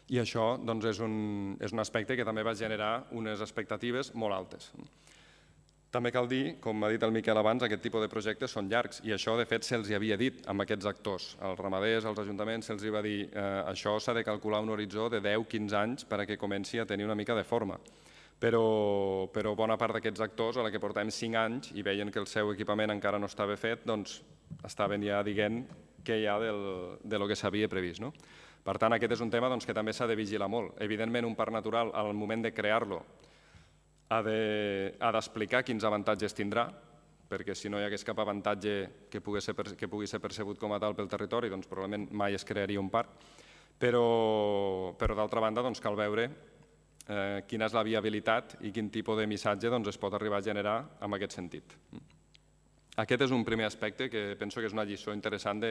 I això doncs, és, un, és un aspecte que també va generar unes expectatives molt altes. També cal dir, com ha dit el Miquel abans, aquest tipus de projectes són llargs, i això de fet se'ls havia dit amb aquests actors. Els ramaders, als ajuntaments, se'ls va dir eh, això s'ha de calcular un horitzó de deu a quinze anys perquè comenci a tenir una mica de forma. Però, però bona part d'aquests actors, a la que portem cinc anys i veien que el seu equipament encara no estava fet, doncs estaven ja dient què hi ha del, de lo que s'havia previst. No? Per tant, aquest és un tema doncs, que també s'ha de vigilar molt. Evidentment, un parc natural, al moment de crear-lo, ha d'explicar quins avantatges tindrà, perquè si no hi hagués cap avantatge que pugui ser, que pugui ser percebut com a tal pel territori, doncs probablement mai es crearia un parc. Però, però d'altra banda, doncs, cal veure quina és la viabilitat i quin tipus de missatge es pot arribar a generar en aquest sentit. Aquest és un primer aspecte que penso que és una lliçó interessant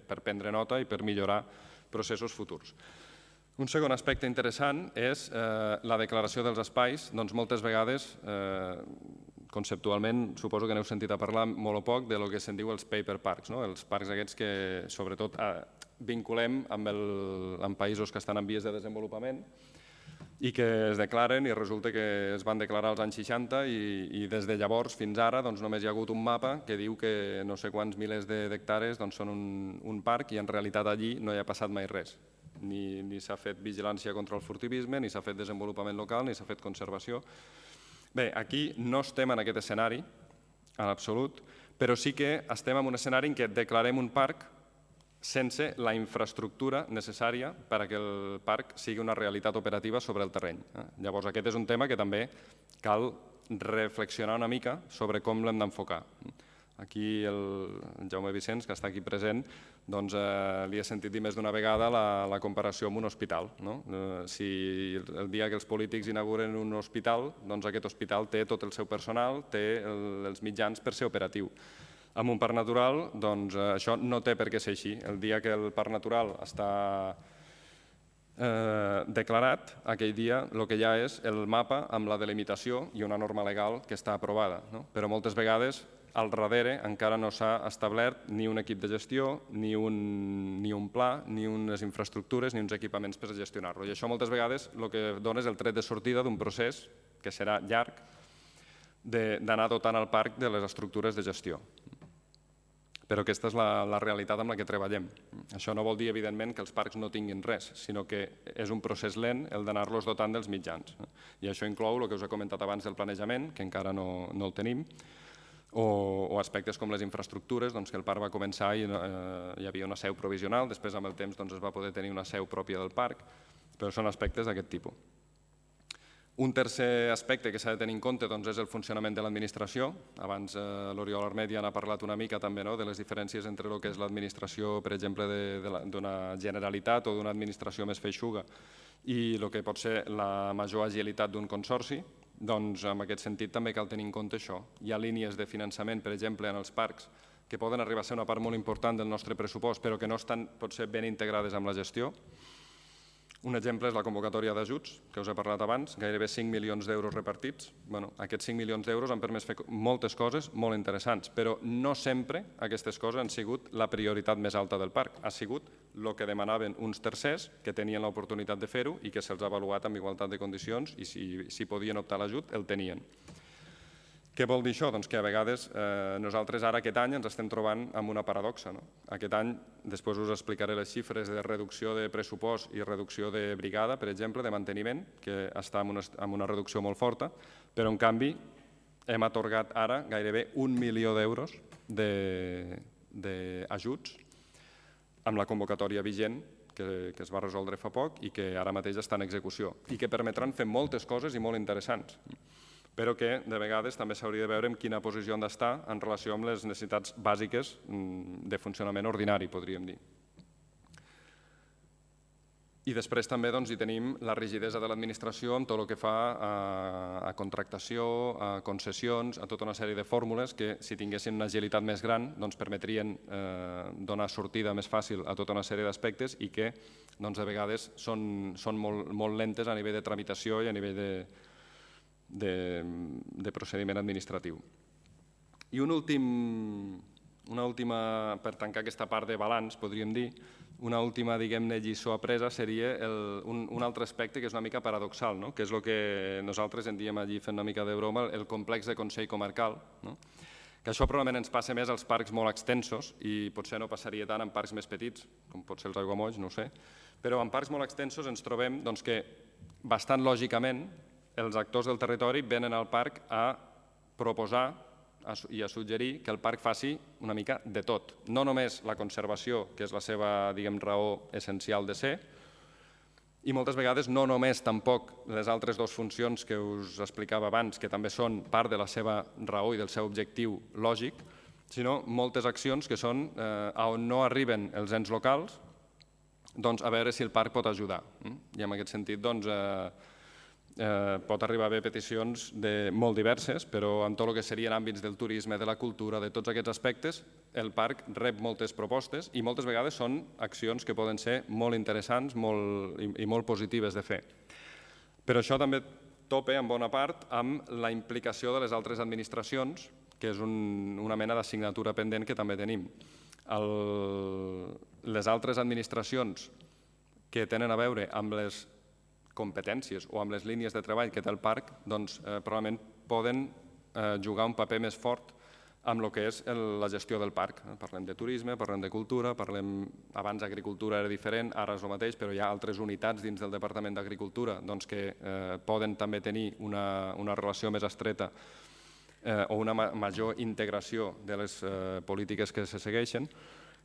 per prendre nota i per millorar processos futurs. Un segon aspecte interessant és la declaració dels espais. Doncs moltes vegades, conceptualment, suposo que n'heu sentit a parlar molt o poc del que se'n diu els paper parks, els parcs aquests que sobretot vinculem amb països que estan en vies de desenvolupament i que es declaren i resulta que es van declarar als anys seixanta i des de llavors fins ara només hi ha hagut un mapa que diu que no sé quants milers d'hectares són un parc i en realitat allí no hi ha passat mai res. Ni s'ha fet vigilància contra el furtivisme, ni s'ha fet desenvolupament local, ni s'ha fet conservació. Bé, aquí no estem en aquest escenari, en absolut, però sí que estem en un escenari en què declarem un parc sense la infraestructura necessària perquè el parc sigui una realitat operativa sobre el terreny. Llavors, aquest és un tema que també cal reflexionar una mica sobre com l'hem d'enfocar. Aquí el Jaume Vicenç, que està aquí present, li he sentit dir més d'una vegada la comparació amb un hospital. Si el dia que els polítics inauguren un hospital, doncs aquest hospital té tot el seu personal, té els mitjans per ser operatiu. Amb un parc natural, doncs això no té per què ser així. El dia que el parc natural està declarat, aquell dia el que hi ha és el mapa amb la delimitació i una norma legal que està aprovada. Però moltes vegades al darrere encara no s'ha establert ni un equip de gestió, ni un pla, ni unes infraestructures, ni uns equipaments per gestionar-lo. I això moltes vegades el que dona és el tret de sortida d'un procés que serà llarg d'anar dotant el parc de les estructures de gestió. Però aquesta és la realitat amb la que treballem. Això no vol dir, evidentment, que els parcs no tinguin res, sinó que és un procés lent el d'anar-los dotant dels mitjans. I això inclou el que us he comentat abans del planejament, que encara no el tenim, o aspectes com les infraestructures, que el parc va començar i hi havia una seu provisional, després amb el temps es va poder tenir una seu pròpia del parc, però són aspectes d'aquest tipus. Un tercer aspecte que s'ha de tenir en compte és el funcionament de l'administració. Abans l'Oriol Armet ja n'ha parlat una mica també de les diferències entre el que és l'administració, per exemple, d'una Generalitat o d'una administració més feixuga i el que pot ser la major agilitat d'un consorci. Doncs en aquest sentit també cal tenir en compte això. Hi ha línies de finançament, per exemple, en els parcs, que poden arribar a ser una part molt important del nostre pressupost, però que no estan potser ben integrades amb la gestió. Un exemple és la convocatòria d'ajuts, que us he parlat abans, gairebé cinc milions d'euros repartits. Aquests cinc milions d'euros han permès fer moltes coses molt interessants, però no sempre aquestes coses han sigut la prioritat més alta del parc. Ha sigut el que demanaven uns tercers que tenien l'oportunitat de fer-ho i que se'ls ha avaluat amb igualtat de condicions i si podien optar a l'ajut, el tenien. Què vol dir això? Doncs que a vegades nosaltres ara aquest any ens estem trobant amb una paradoxa. Aquest any, després us explicaré les xifres de reducció de pressupost i reducció de brigada, per exemple, de manteniment, que està amb una reducció molt forta, però en canvi hem atorgat ara gairebé un milió d'euros d'ajuts amb la convocatòria vigent que es va resoldre fa poc i que ara mateix està en execució i que permetran fer moltes coses i molt interessants, però que de vegades també s'hauria de veure en quina posició han d'estar en relació amb les necessitats bàsiques de funcionament ordinari, podríem dir. I després també hi tenim la rigidesa de l'administració amb tot el que fa a contractació, a concessions, a tota una sèrie de fórmules que, si tinguessin una agilitat més gran, permetrien donar sortida més fàcil a tota una sèrie d'aspectes i que de vegades són molt lentes a nivell de tramitació i a nivell de de procediment administratiu. I una última, per tancar aquesta part de balanç, podríem dir, una última, diguem-ne, lliçó apresa seria un altre aspecte que és una mica paradoxal, que és el que nosaltres en diem allí fent una mica de broma, el complex de Consell Comarcal, que això probablement ens passa més als parcs molt extensos i potser no passaria tant en parcs més petits, com pot ser els aiguamolls, no ho sé, però en parcs molt extensos ens trobem que bastant lògicament els actors del territori venen al parc a proposar i a suggerir que el parc faci una mica de tot. No només la conservació, que és la seva, diguem, raó essencial de ser, i moltes vegades no només tampoc les altres dues funcions que us explicava abans, que també són part de la seva raó i del seu objectiu lògic, sinó moltes accions que són on no arriben els ens locals, doncs a veure si el parc pot ajudar. I en aquest sentit, doncs, pot arribar a haver peticions molt diverses, però en tot el que serien àmbits del turisme, de la cultura, de tots aquests aspectes, el parc rep moltes propostes i moltes vegades són accions que poden ser molt interessants i molt positives de fer. Però això també topa en bona part amb la implicació de les altres administracions, que és una mena d'assignatura pendent que també tenim. Les altres administracions que tenen a veure amb les competències o amb les línies de treball que té el parc, doncs probablement poden jugar un paper més fort amb el que és la gestió del parc. Parlem de turisme, parlem de cultura, parlem... Abans agricultura era diferent, ara és el mateix, però hi ha altres unitats dins del Departament d'Agricultura que poden també tenir una relació més estreta o una major integració de les polítiques que se segueixen.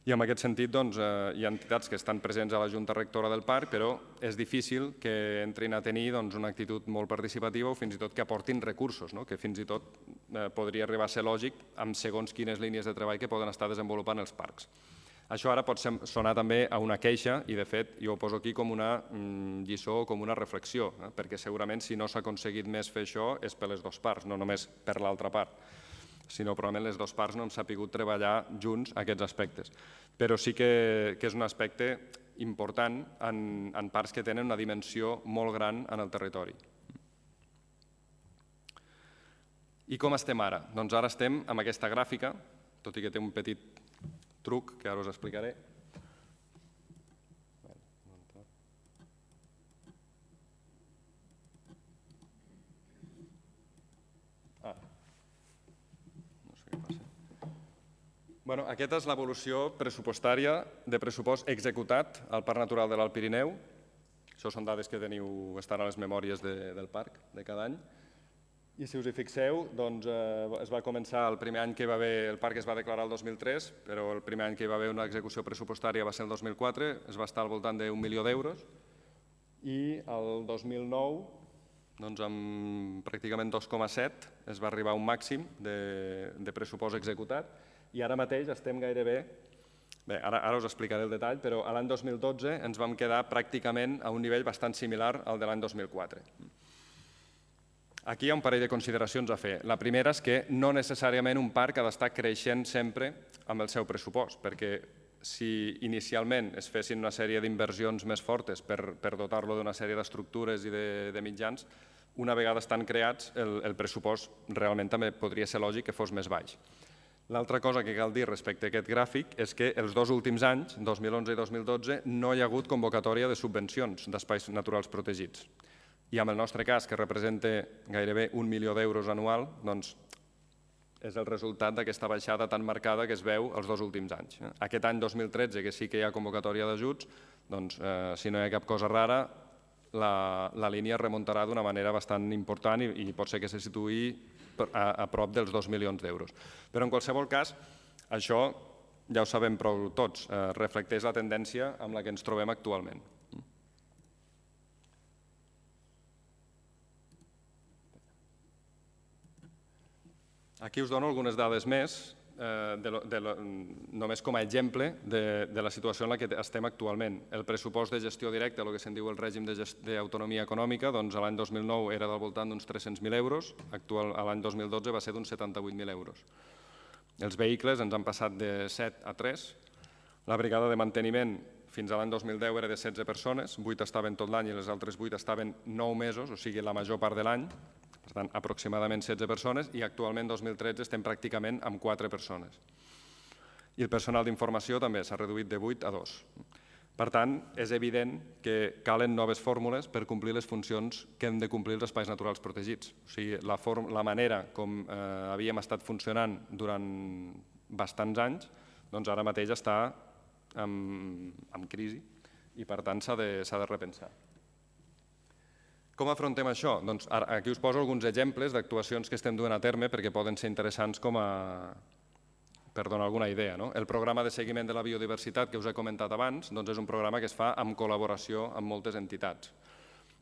I en aquest sentit hi ha entitats que estan presents a la Junta Rectora del Parc, però és difícil que entrin a tenir una actitud molt participativa o fins i tot que aportin recursos, que fins i tot podria arribar a ser lògic amb segons quines línies de treball que poden estar desenvolupant els parcs. Això ara pot sonar també a una queixa i, de fet, jo ho poso aquí com una lliçó o com una reflexió, perquè segurament si no s'ha aconseguit més fer això és per les dues parts, no només per l'altra part, sinó probablement les dues parts no hem sabut treballar junts aquests aspectes. Però sí que és un aspecte important en parcs que tenen una dimensió molt gran en el territori. I com estem ara? Doncs ara estem amb aquesta gràfica, tot i que té un petit truc que ara us explicaré. Aquesta és l'evolució pressupostària de pressupost executat al Parc Natural de l'Alt Pirineu. Això són dades que teniu, estan a les memòries del parc de cada any. I si us hi fixeu, doncs es va començar el primer any que hi va haver, el parc es va declarar el dos mil tres, però el primer any que hi va haver una execució pressupostària va ser el dos mil quatre, es va estar al voltant d'un milió d'euros, i el dos mil nou, doncs amb pràcticament dos coma set, es va arribar a un màxim de pressupost executat, i ara mateix estem gairebé, bé, ara us explicaré el detall, però l'any dos mil dotze ens vam quedar pràcticament a un nivell bastant similar al de l'any dos mil quatre. Aquí hi ha un parell de consideracions a fer. La primera és que no necessàriament un parc ha d'estar creixent sempre amb el seu pressupost, perquè si inicialment es fessin una sèrie d'inversions més fortes per dotar-lo d'una sèrie d'estructures i de mitjans, una vegada estan creats, el pressupost realment també podria ser lògic que fos més baix. L'altra cosa que cal dir respecte a aquest gràfic és que els dos últims anys, dos mil onze i dos mil dotze, no hi ha hagut convocatòria de subvencions d'espais naturals protegits. I en el nostre cas, que representa gairebé un milió d'euros anual, doncs és el resultat d'aquesta baixada tan marcada que es veu els dos últims anys. Aquest any dos mil tretze, que sí que hi ha convocatòria d'ajuts, doncs si no hi ha cap cosa rara, la línia remuntarà d'una manera bastant important i pot ser que se situï a prop dels dos milions d'euros. Però en qualsevol cas, això ja ho sabem prou tots, reflecteix la tendència amb la que ens trobem actualment. Aquí us dono algunes dades més, només com a exemple de la situació en la que estem actualment. El pressupost de gestió directa, el que se'n diu el règim d'autonomia econòmica, doncs l'any dos mil nou era del voltant d'uns tres-cents mil euros, l'any dos mil dotze va ser d'uns setanta-vuit mil euros. Els vehicles ens han passat de set a tres, la brigada de manteniment fins a l'any dos mil deu era de setze persones, vuit estaven tot l'any i les altres vuit estaven nou mesos, o sigui la major part de l'any, per tant, aproximadament setze persones, i actualment, dos mil tretze, estem pràcticament amb quatre persones. I el personal d'informació també s'ha reduït de vuit a dos. Per tant, és evident que calen noves fórmules per complir les funcions que hem de complir els espais naturals protegits. O sigui, la manera com havíem estat funcionant durant bastants anys, doncs ara mateix està en crisi i, per tant, s'ha de repensar. Com afrontem això? Doncs aquí us poso alguns exemples d'actuacions que estem duent a terme perquè poden ser interessants com a... per donar alguna idea. El programa de seguiment de la biodiversitat que us he comentat abans és un programa que es fa en col·laboració amb moltes entitats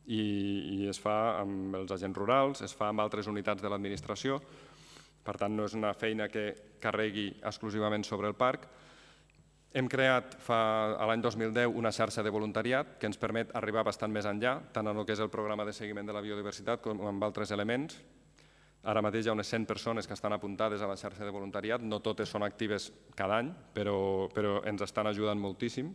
i es fa amb els agents rurals, es fa amb altres unitats de l'administració, per tant no és una feina que carregui exclusivament sobre el parc. Hem creat a l'any dos mil deu una xarxa de voluntariat que ens permet arribar bastant més enllà, tant en el que és el programa de seguiment de la biodiversitat com en altres elements. Ara mateix hi ha unes cent persones que estan apuntades a la xarxa de voluntariat, no totes són actives cada any, però ens estan ajudant moltíssim.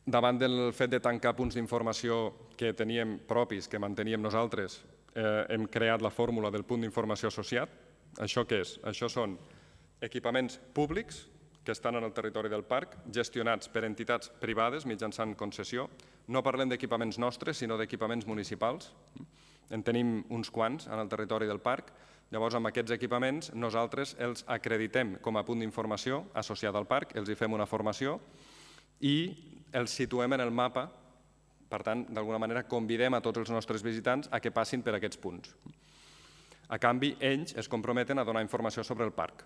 Davant del fet de tancar punts d'informació que teníem propis, que manteníem nosaltres, hem creat la fórmula del punt d'informació associat. Això què és? Això són equipaments públics que estan en el territori del parc, gestionats per entitats privades mitjançant concessió. No parlem d'equipaments nostres, sinó d'equipaments municipals. En tenim uns quants en el territori del parc. Llavors, amb aquests equipaments, nosaltres els acreditem com a punt d'informació associat al parc, els hi fem una formació i els situem en el mapa. Per tant, d'alguna manera, convidem a tots els nostres visitants a que passin per aquests punts. A canvi, ells es comprometen a donar informació sobre el parc.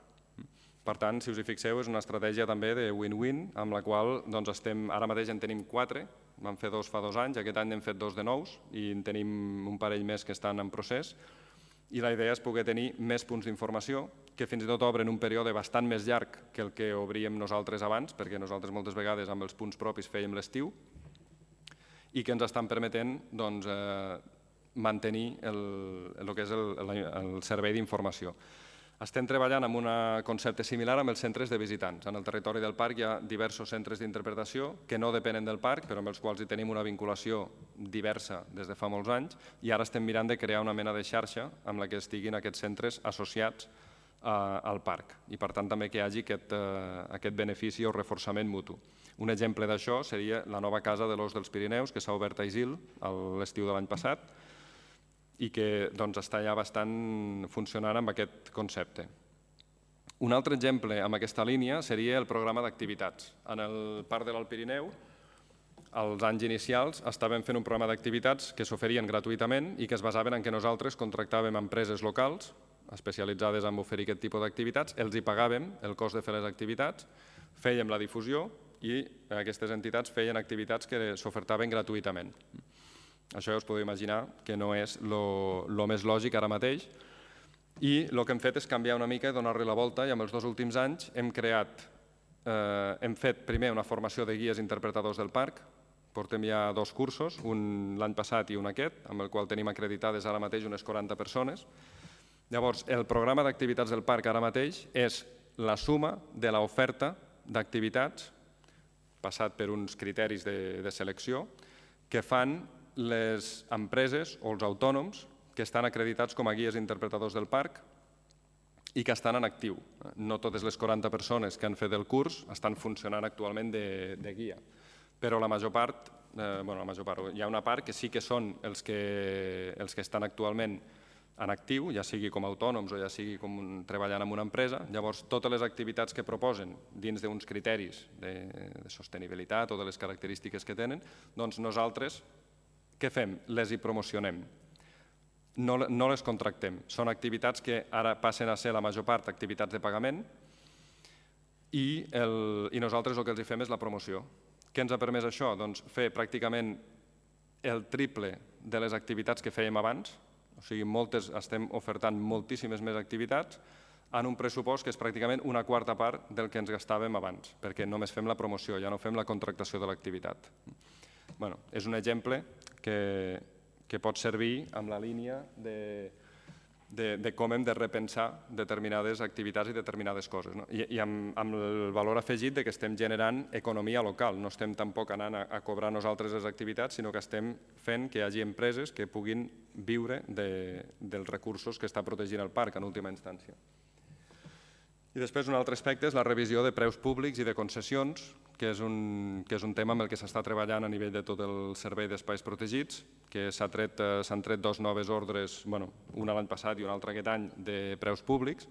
Per tant, si us hi fixeu, és una estratègia també de win-win, amb la qual estem, ara mateix en tenim quatre, vam fer dos fa dos anys, aquest any n'hem fet dos de nous i en tenim un parell més que estan en procés, i la idea és poder tenir més punts d'informació que fins i tot obren un període bastant més llarg que el que obríem nosaltres abans, perquè nosaltres moltes vegades amb els punts propis fèiem l'estiu, i que ens estan permetent mantenir el que és el servei d'informació. Estem treballant en un concepte similar amb els centres de visitants. En el territori del parc hi ha diversos centres d'interpretació que no depenen del parc, però amb els quals hi tenim una vinculació diversa des de fa molts anys, i ara estem mirant de crear una mena de xarxa amb la que estiguin aquests centres associats al parc, i per tant també que hi hagi aquest benefici o reforçament mutu. Un exemple d'això seria la nova casa de l'Ós dels Pirineus, que s'ha obert a Isil l'estiu de l'any passat, i que està ja bastant funcionant amb aquest concepte. Un altre exemple amb aquesta línia seria el programa d'activitats. En el Parc de l'Alt Pirineu, als anys inicials, estàvem fent un programa d'activitats que s'oferien gratuïtament i que es basaven en que nosaltres contractàvem empreses locals especialitzades en oferir aquest tipus d'activitats, els hi pagàvem el cost de fer les activitats, fèiem la difusió i aquestes entitats feien activitats que s'ofertaven gratuïtament. Això ja us podeu imaginar que no és el més lògic ara mateix, i el que hem fet és canviar una mica i donar-li la volta, i en els dos últims anys hem creat, hem fet primer una formació de guies interpretadors del parc, portem ja dos cursos, un l'any passat i un aquest, amb el qual tenim acreditades ara mateix unes quaranta persones. Llavors, el programa d'activitats del parc ara mateix és la suma de l'oferta d'activitats, passat per uns criteris de selecció, que fan les empreses o els autònoms que estan acreditats com a guies interpretadors del parc i que estan en actiu. No totes les quaranta persones que han fet el curs estan funcionant actualment de guia, però la major part, bueno, la major part, hi ha una part que sí que són els que estan actualment en actiu, ja sigui com a autònoms o ja sigui com treballant en una empresa. Llavors, totes les activitats que proposen dins d'uns criteris de sostenibilitat o de les característiques que tenen, doncs nosaltres què fem? Les hi promocionem. No les contractem. Són activitats que ara passen a ser la major part activitats de pagament i nosaltres el que els hi fem és la promoció. Què ens ha permès això? Doncs fer pràcticament el triple de les activitats que fèiem abans, o sigui, estem ofertant moltíssimes més activitats en un pressupost que és pràcticament una quarta part del que ens gastàvem abans, perquè només fem la promoció, ja no fem la contractació de l'activitat. És un exemple que pot servir amb la línia de com hem de repensar determinades activitats i determinades coses. I amb el valor afegit que estem generant economia local. No estem tampoc anant a cobrar nosaltres les activitats, sinó que estem fent que hi hagi empreses que puguin viure dels recursos que està protegint el parc en última instància. I després un altre aspecte és la revisió de preus públics i de concessions, que és un tema amb el que s'està treballant a nivell de tot el servei d'espais protegits, que s'han tret dos noves ordres, una l'any passat i una altra aquest any, de preus públics.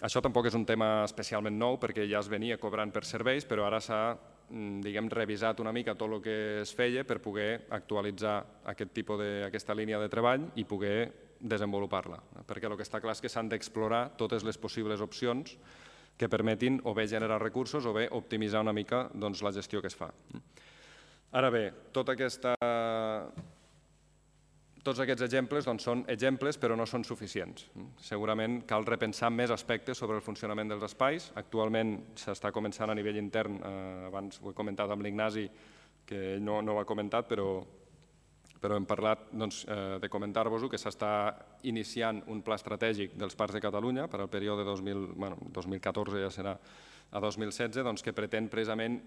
Això tampoc és un tema especialment nou, perquè ja es venia cobrant per serveis, però ara s'ha revisat una mica tot el que es feia per poder actualitzar aquest tipus d'aquesta línia de treball i poder desenvolupar-la, perquè el que està clar és que s'han d'explorar totes les possibles opcions que permetin o bé generar recursos o bé optimitzar una mica la gestió que es fa. Ara bé, tota aquesta tots aquests exemples són exemples però no són suficients. Segurament cal repensar més aspectes sobre el funcionament dels espais. Actualment s'està començant a nivell intern, abans ho he comentat amb l'Ignasi, que ell no ho ha comentat, però hem parlat de comentar-vos-ho, que s'està iniciant un pla estratègic dels parcs de Catalunya per al període dos mil catorze, ja serà a dos mil setze, que pretén precisament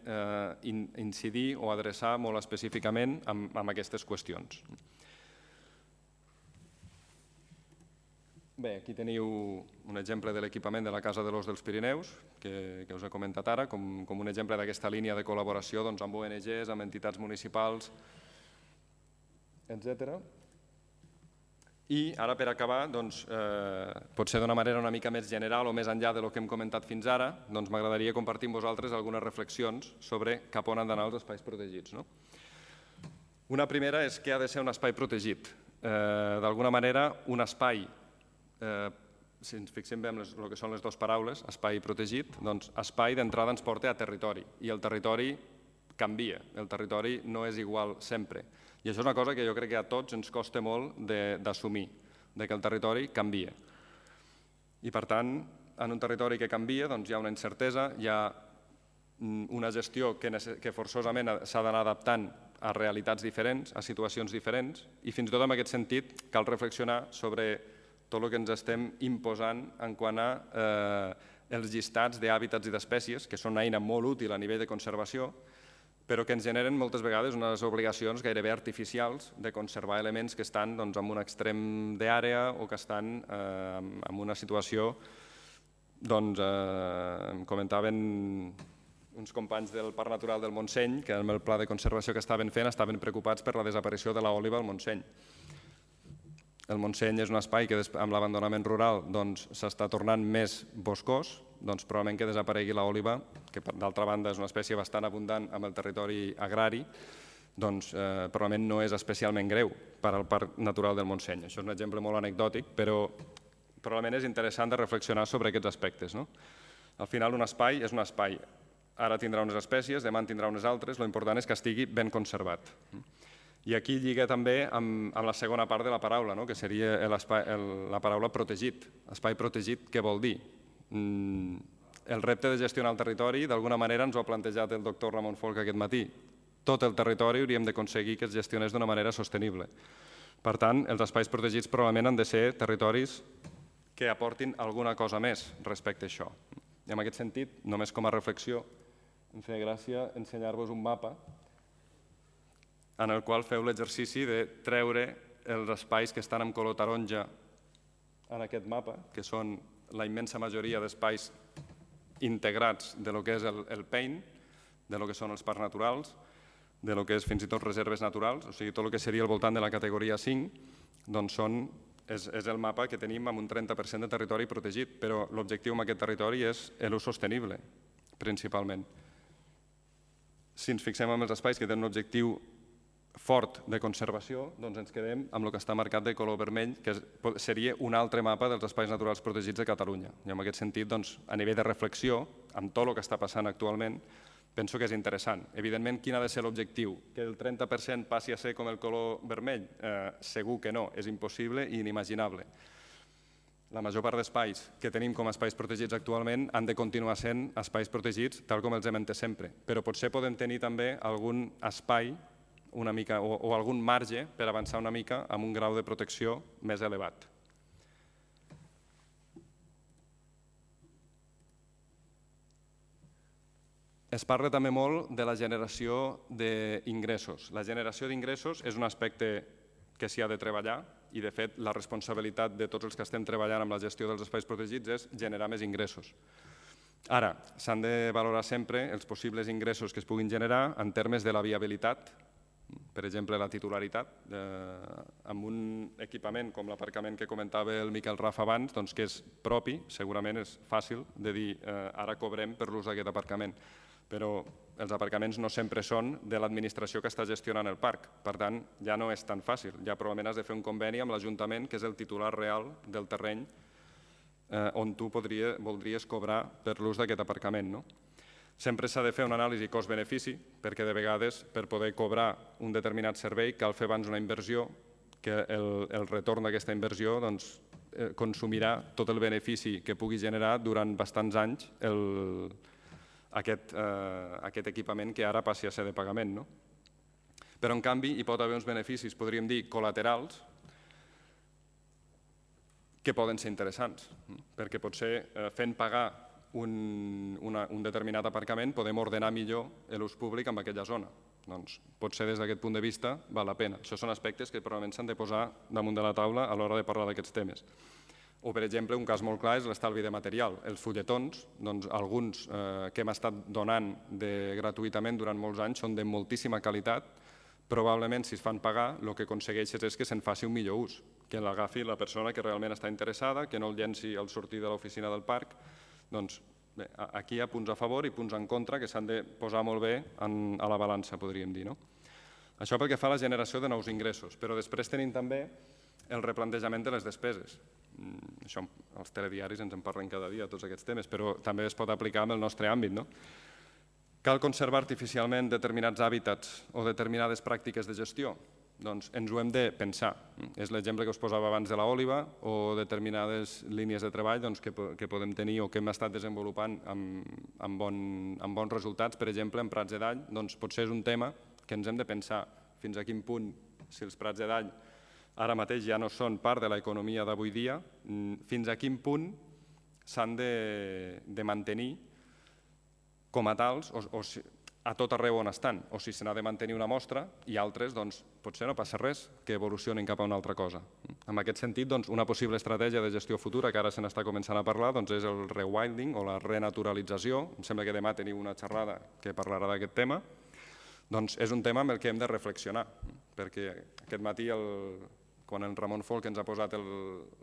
incidir o adreçar molt específicament amb aquestes qüestions. Bé, aquí teniu un exemple de l'equipament de la Casa de l'Ós dels Pirineus, que us he comentat ara, com un exemple d'aquesta línia de col·laboració amb O N Ges, amb entitats municipals, etcètera. I ara, per acabar, potser d'una manera una mica més general o més enllà del que hem comentat fins ara, m'agradaria compartir amb vosaltres algunes reflexions sobre cap on han d'anar els espais protegits. Una primera és què ha de ser un espai protegit. D'alguna manera, un espai, si ens fixem bé en el que són les dues paraules, espai i protegit, doncs espai d'entrada ens porta a territori, i el territori canvia, el territori no és igual sempre. I això és una cosa que jo crec que a tots ens costa molt d'assumir, que el territori canvia. I per tant, en un territori que canvia hi ha una incertesa, hi ha una gestió que forçosament s'ha d'anar adaptant a realitats diferents, a situacions diferents, i fins i tot en aquest sentit cal reflexionar sobre tot el que ens estem imposant en quant a els llistats d'hàbitats i d'espècies, que són una eina molt útil a nivell de conservació, però que ens generen moltes vegades unes obligacions gairebé artificials de conservar elements que estan en un extrem d'àrea o que estan en una situació, doncs, em comentaven uns companys del Parc Natural del Montseny que amb el pla de conservació que estaven fent estaven preocupats per la desaparició de l'òliba al Montseny. El Montseny és un espai que amb l'abandonament rural s'està tornant més boscós, doncs probablement que desaparegui l'òliba, que d'altra banda és una espècie bastant abundant amb el territori agrari, doncs probablement no és especialment greu per al Parc Natural del Montseny. Això és un exemple molt anecdòtic, però probablement és interessant de reflexionar sobre aquests aspectes. Al final un espai és un espai. Ara tindrà unes espècies, demà en tindrà unes altres, l'important és que estigui ben conservat. I aquí lliga també amb la segona part de la paraula, que seria la paraula protegit. Espai protegit, què vol dir? El repte de gestionar el territori, d'alguna manera ens ho ha plantejat el doctor Ramon Folch aquest matí. Tot el territori hauríem d'aconseguir que es gestionés d'una manera sostenible. Per tant, els espais protegits probablement han de ser territoris que aportin alguna cosa més respecte a això. I en aquest sentit, només com a reflexió, em feia gràcia ensenyar-vos un mapa en el qual feu l'exercici de treure els espais que estan en color taronja en aquest mapa, que són la immensa majoria d'espais integrats de lo que és el P E I N, de lo que són els parcs naturals, de lo que és fins i tot reserves naturals, o sigui, tot el que seria al voltant de la categoria cinc, doncs és el mapa que tenim amb un trenta per cent de territori protegit, però l'objectiu amb aquest territori és l'ús sostenible, principalment. Si ens fixem en els espais que tenen un objectiu fort de conservació, doncs ens quedem amb el que està marcat de color vermell, que seria un altre mapa dels espais naturals protegits de Catalunya. I en aquest sentit, a nivell de reflexió, amb tot el que està passant actualment, penso que és interessant. Evidentment, quin ha de ser l'objectiu? Que el trenta per cent passi a ser com el color vermell? Segur que no, és impossible i inimaginable. La major part d'espais que tenim com a espais protegits actualment han de continuar sent espais protegits tal com els hem entès sempre, però potser podem tenir també algun espai una mica, o algun marge per avançar una mica amb un grau de protecció més elevat. Es parla també molt de la generació d'ingressos. La generació d'ingressos és un aspecte que s'hi ha de treballar i, de fet, la responsabilitat de tots els que estem treballant amb la gestió dels espais protegits és generar més ingressos. Ara, s'han de valorar sempre els possibles ingressos que es puguin generar en termes de la viabilitat, per exemple, la titularitat, amb un equipament com l'aparcament que comentava el Miquel Rafa abans, que és propi, segurament és fàcil de dir ara cobrem per l'ús d'aquest aparcament, però els aparcaments no sempre són de l'administració que està gestionant el parc. Per tant, ja no és tan fàcil. Ja probablement has de fer un conveni amb l'Ajuntament, que és el titular real del terreny on tu voldries cobrar per l'ús d'aquest aparcament. Sempre s'ha de fer una anàlisi cost-benefici, perquè de vegades per poder cobrar un determinat servei cal fer abans una inversió que el retorn d'aquesta inversió consumirà tot el benefici que pugui generar durant bastants anys aquest equipament que ara passi a ser de pagament. Però, en canvi, hi pot haver uns beneficis, podríem dir, col·laterals, que poden ser interessants, perquè potser fent pagar un determinat aparcament podem ordenar millor l'ús públic en aquella zona. Doncs potser des d'aquest punt de vista val la pena. Això són aspectes que probablement s'han de posar damunt de la taula a l'hora de parlar d'aquests temes. O, per exemple, un cas molt clar és l'estalvi de material. Els fulletons, alguns que hem estat donant gratuïtament durant molts anys, són de moltíssima qualitat. Probablement, si es fan pagar, el que aconsegueixes és que se'n faci un millor ús, que l'agafi la persona que realment està interessada, que no el llenci al sortir de l'oficina del parc. Doncs bé, aquí hi ha punts a favor i punts en contra que s'han de posar molt bé a la balança, podríem dir. Això pel que fa a la generació de nous ingressos, però després tenim també el replantejament de les despeses. Això els telediaris ens en parlen cada dia, tots aquests temes, però també es pot aplicar en el nostre àmbit. Cal conservar artificialment determinats hàbitats o determinades pràctiques de gestió? Doncs ens ho hem de pensar. És l'exemple que us posava abans de l'òliba o determinades línies de treball que podem tenir o que hem estat desenvolupant amb bons resultats, per exemple, en prats de dall. Doncs potser és un tema que ens hem de pensar fins a quin punt, si els prats de dall ara mateix ja no són part de l'economia d'avui dia, fins a quin punt s'han de mantenir com a tals o a tot arreu on estan, o si se n'ha de mantenir una mostra i altres, doncs potser no passa res que evolucionin cap a una altra cosa. En aquest sentit, una possible estratègia de gestió futura que ara se n'està començant a parlar és el rewilding o la renaturalització. Em sembla que demà teniu una xerrada que parlarà d'aquest tema. Doncs és un tema amb el que hem de reflexionar, perquè aquest matí, quan el Ramon Folk ens ha posat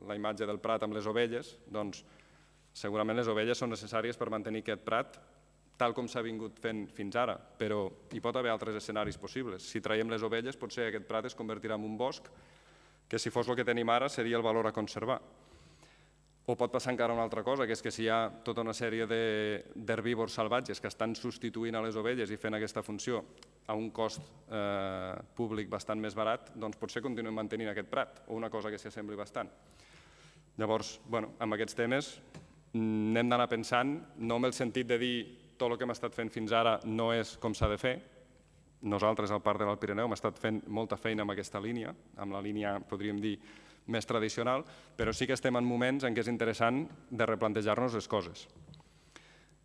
la imatge del prat amb les ovelles, doncs segurament les ovelles són necessàries per mantenir aquest prat tal com s'ha vingut fent fins ara, però hi pot haver altres escenaris possibles. Si traiem les ovelles, potser aquest prat es convertirà en un bosc, que si fos el que tenim ara seria el valor a conservar. O pot passar encara una altra cosa, que és que si hi ha tota una sèrie d'herbívors salvatges que estan substituint a les ovelles i fent aquesta funció a un cost públic bastant més barat, doncs potser continuem mantenint aquest prat, o una cosa que s'hi assembli bastant. Llavors, amb aquests temes n'hem d'anar pensant, no en el sentit de dir tot el que hem estat fent fins ara no és com s'ha de fer. Nosaltres, al Parc de l'Alt Pirineu, hem estat fent molta feina en aquesta línia, amb la línia, podríem dir, més tradicional, però sí que estem en moments en què és interessant de replantejar-nos les coses.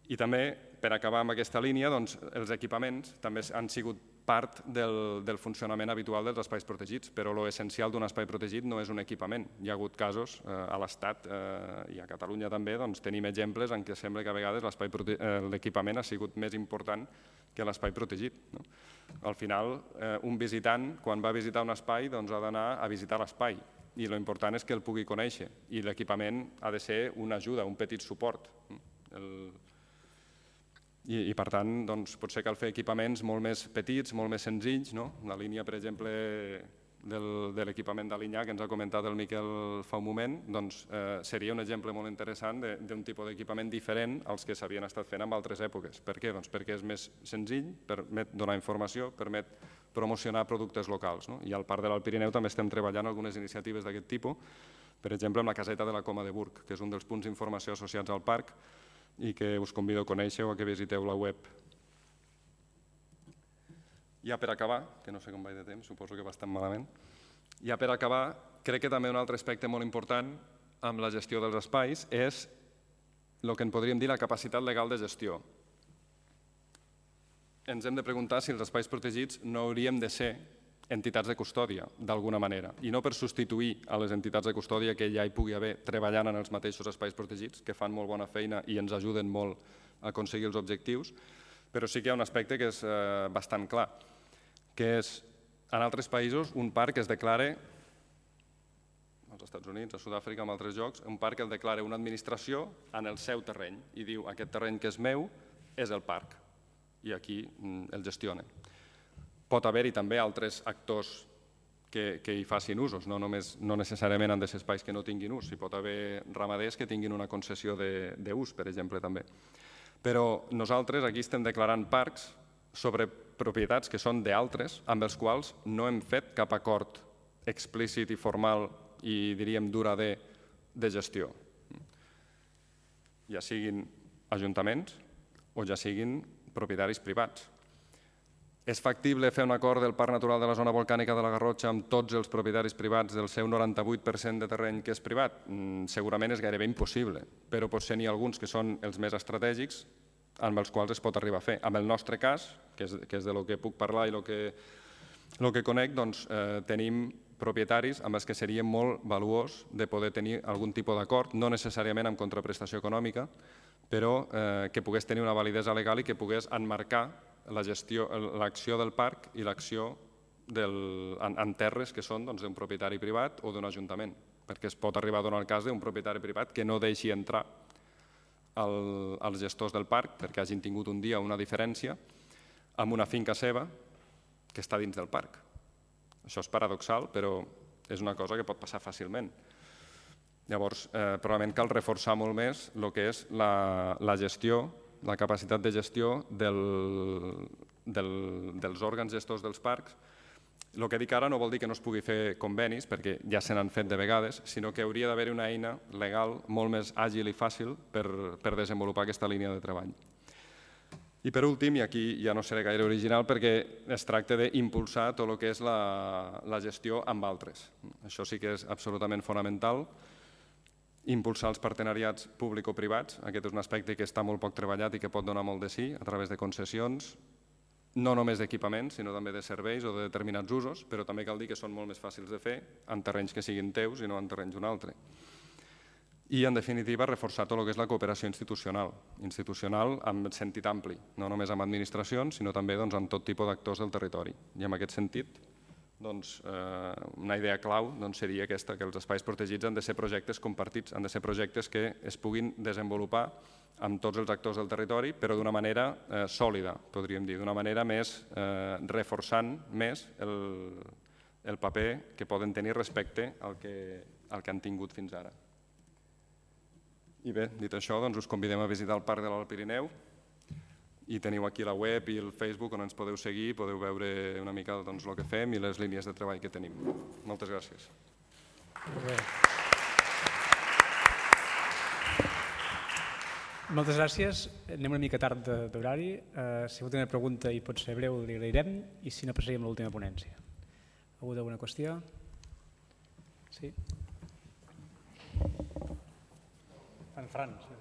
I també, per acabar amb aquesta línia, els equipaments també han sigut part del funcionament habitual dels espais protegits, però l'essencial d'un espai protegit no és un equipament. Hi ha hagut casos a l'Estat i a Catalunya també, tenim exemples en què sembla que a vegades l'equipament ha sigut més important que l'espai protegit. Al final, un visitant, quan va a visitar un espai, ha d'anar a visitar l'espai i l'important és que el pugui conèixer i l'equipament ha de ser una ajuda, un petit suport. I, per tant, potser cal fer equipaments molt més petits, molt més senzills. La línia, per exemple, de l'equipament d'Alinyà, que ens ha comentat el Miquel fa un moment, seria un exemple molt interessant d'un tipus d'equipament diferent als que s'havien estat fent en altres èpoques. Per què? Perquè és més senzill, permet donar informació, permet promocionar productes locals. I al Parc de l'Alt Pirineu també estem treballant algunes iniciatives d'aquest tipus, per exemple, amb la caseta de la Coma de Burg, que és un dels punts d'informació associats al parc, i que us convido a conèixer o a que visiteu la web. Ja per acabar, que no sé com vaig de temps, suposo que bastant malament, ja per acabar, crec que també un altre aspecte molt important amb la gestió dels espais és el que en podríem dir la capacitat legal de gestió. Ens hem de preguntar si els espais protegits no hauríem de ser entitats de custòdia, d'alguna manera, i no per substituir a les entitats de custòdia que ja hi pugui haver treballant en els mateixos espais protegits, que fan molt bona feina i ens ajuden molt a aconseguir els objectius, però sí que hi ha un aspecte que és bastant clar, que és, en altres països, un parc es declara, als Estats Units, a Sud-àfrica, en altres llocs, un parc el declara una administració en el seu terreny i diu, aquest terreny que és meu és el parc, i aquí el gestionen. Pot haver-hi també altres actors que hi facin usos, no necessàriament han de ser espais que no tinguin ús, hi pot haver ramaders que tinguin una concessió d'ús, per exemple, també. Però nosaltres aquí estem declarant parcs sobre propietats que són d'altres, amb els quals no hem fet cap acord explícit i formal i, diríem, durader de gestió, ja siguin ajuntaments o ja siguin propietaris privats. És factible fer un acord del Parc Natural de la Zona Volcànica de la Garrotxa amb tots els propietaris privats del seu noranta-vuit per cent de terreny que és privat? Segurament és gairebé impossible, però potser n'hi ha alguns que són els més estratègics amb els quals es pot arribar a fer. En el nostre cas, que és de lo que puc parlar i el que conec, doncs tenim propietaris amb els que seria molt valuós de poder tenir algun tipus d'acord, no necessàriament amb contraprestació econòmica, però que pogués tenir una validesa legal i que pogués enmarcar l'acció del parc i l'acció en terres que són d'un propietari privat o d'un ajuntament, perquè es pot arribar a donar el cas d'un propietari privat que no deixi entrar els gestors del parc perquè hagin tingut un dia una diferència amb una finca seva que està dins del parc. Això és paradoxal, però és una cosa que pot passar fàcilment. Llavors, probablement cal reforçar molt més el que és la gestió, la capacitat de gestió dels òrgans gestors dels parcs. El que dic ara no vol dir que no es pugui fer convenis, perquè ja se n'han fet de vegades, sinó que hauria d'haver-hi una eina legal molt més àgil i fàcil per desenvolupar aquesta línia de treball. I per últim, i aquí ja no seré gaire original, perquè es tracta d'impulsar tot el que és la gestió amb altres. Això sí que és absolutament fonamental. Impulsar els partenariats público-privats, aquest és un aspecte que està molt poc treballat i que pot donar molt de sí a través de concessions, no només d'equipaments, sinó també de serveis o de determinats usos, però també cal dir que són molt més fàcils de fer en terrenys que siguin teus i no en terrenys d'un altre. I, en definitiva, reforçar tot el que és la cooperació institucional, institucional en sentit ampli, no només amb administracions, sinó també amb tot tipus d'actors del territori. I en aquest sentit, una idea clau seria aquesta, que els espais protegits han de ser projectes compartits, han de ser projectes que es puguin desenvolupar amb tots els actors del territori, però d'una manera sòlida, podríem dir, d'una manera més reforçant més el paper que poden tenir respecte al que han tingut fins ara. I bé, dit això, us convidem a visitar el Parc de l'Alt Pirineu i teniu aquí la web i el Facebook on ens podeu seguir i podeu veure una mica el que fem i les línies de treball que tenim. Moltes gràcies. Moltes gràcies. Anem una mica tard d'horari. Si vol tenir una pregunta i pot ser breu, li agrairem, i si no, passaríem a l'última ponència. Ha hagut alguna qüestió? Sí? En Fran, sí.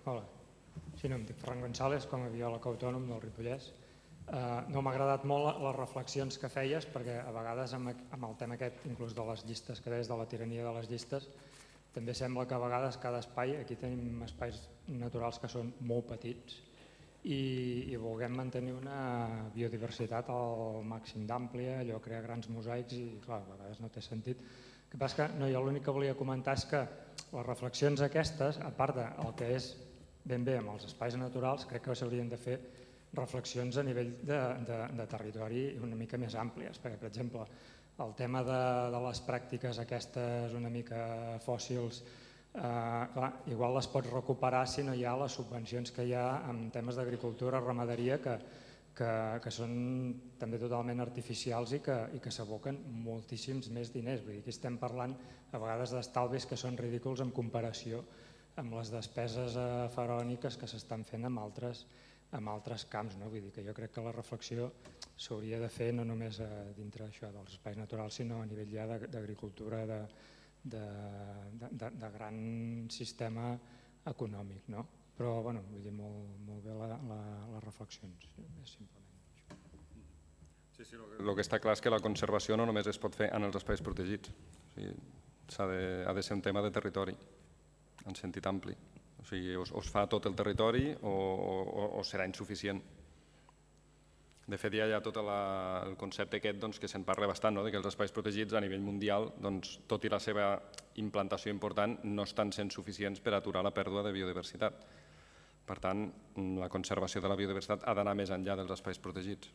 Hola, sí, no, em dic Ferran González, com a biòleg autònom del Ripollès. No m'ha agradat molt les reflexions que feies, perquè a vegades amb el tema aquest, inclús de les llistes, que deies de la tirania de les llistes, també sembla que a vegades cada espai, aquí tenim espais naturals que són molt petits i vulguem mantenir una biodiversitat al màxim d'àmplia, allò crear grans mosaics i clar, a vegades no té sentit. El que passa que l'únic que volia comentar és que les reflexions aquestes, a part del que és ben bé amb els espais naturals, crec que s'haurien de fer reflexions a nivell de territori una mica més àmplies, perquè, per exemple, el tema de les pràctiques aquestes una mica fòssils, igual les pots recuperar si no hi ha les subvencions que hi ha en temes d'agricultura, ramaderia, que són també totalment artificials i que s'aboquen moltíssims més diners. Vull dir, aquí estem parlant a vegades d'estalvis que són ridículs en comparació amb les despeses faraòniques que s'estan fent en altres camps. Vull dir que jo crec que la reflexió s'hauria de fer no només dintre dels espais naturals, sinó a nivell ja d'agricultura, de gran sistema econòmic. Però, bueno, vull dir, molt bé les reflexions, simplement. Sí, sí, el que està clar és que la conservació no només es pot fer en els espais protegits. Ha de ser un tema de territori, en sentit ampli. O sigui, o es fa tot el territori o serà insuficient. De fet, hi ha ja tot el concepte aquest que se'n parla bastant, que els espais protegits a nivell mundial, tot i la seva implantació important, no estan sent suficients per aturar la pèrdua de biodiversitat. Per tant, la conservació de la biodiversitat ha d'anar més enllà dels espais protegits.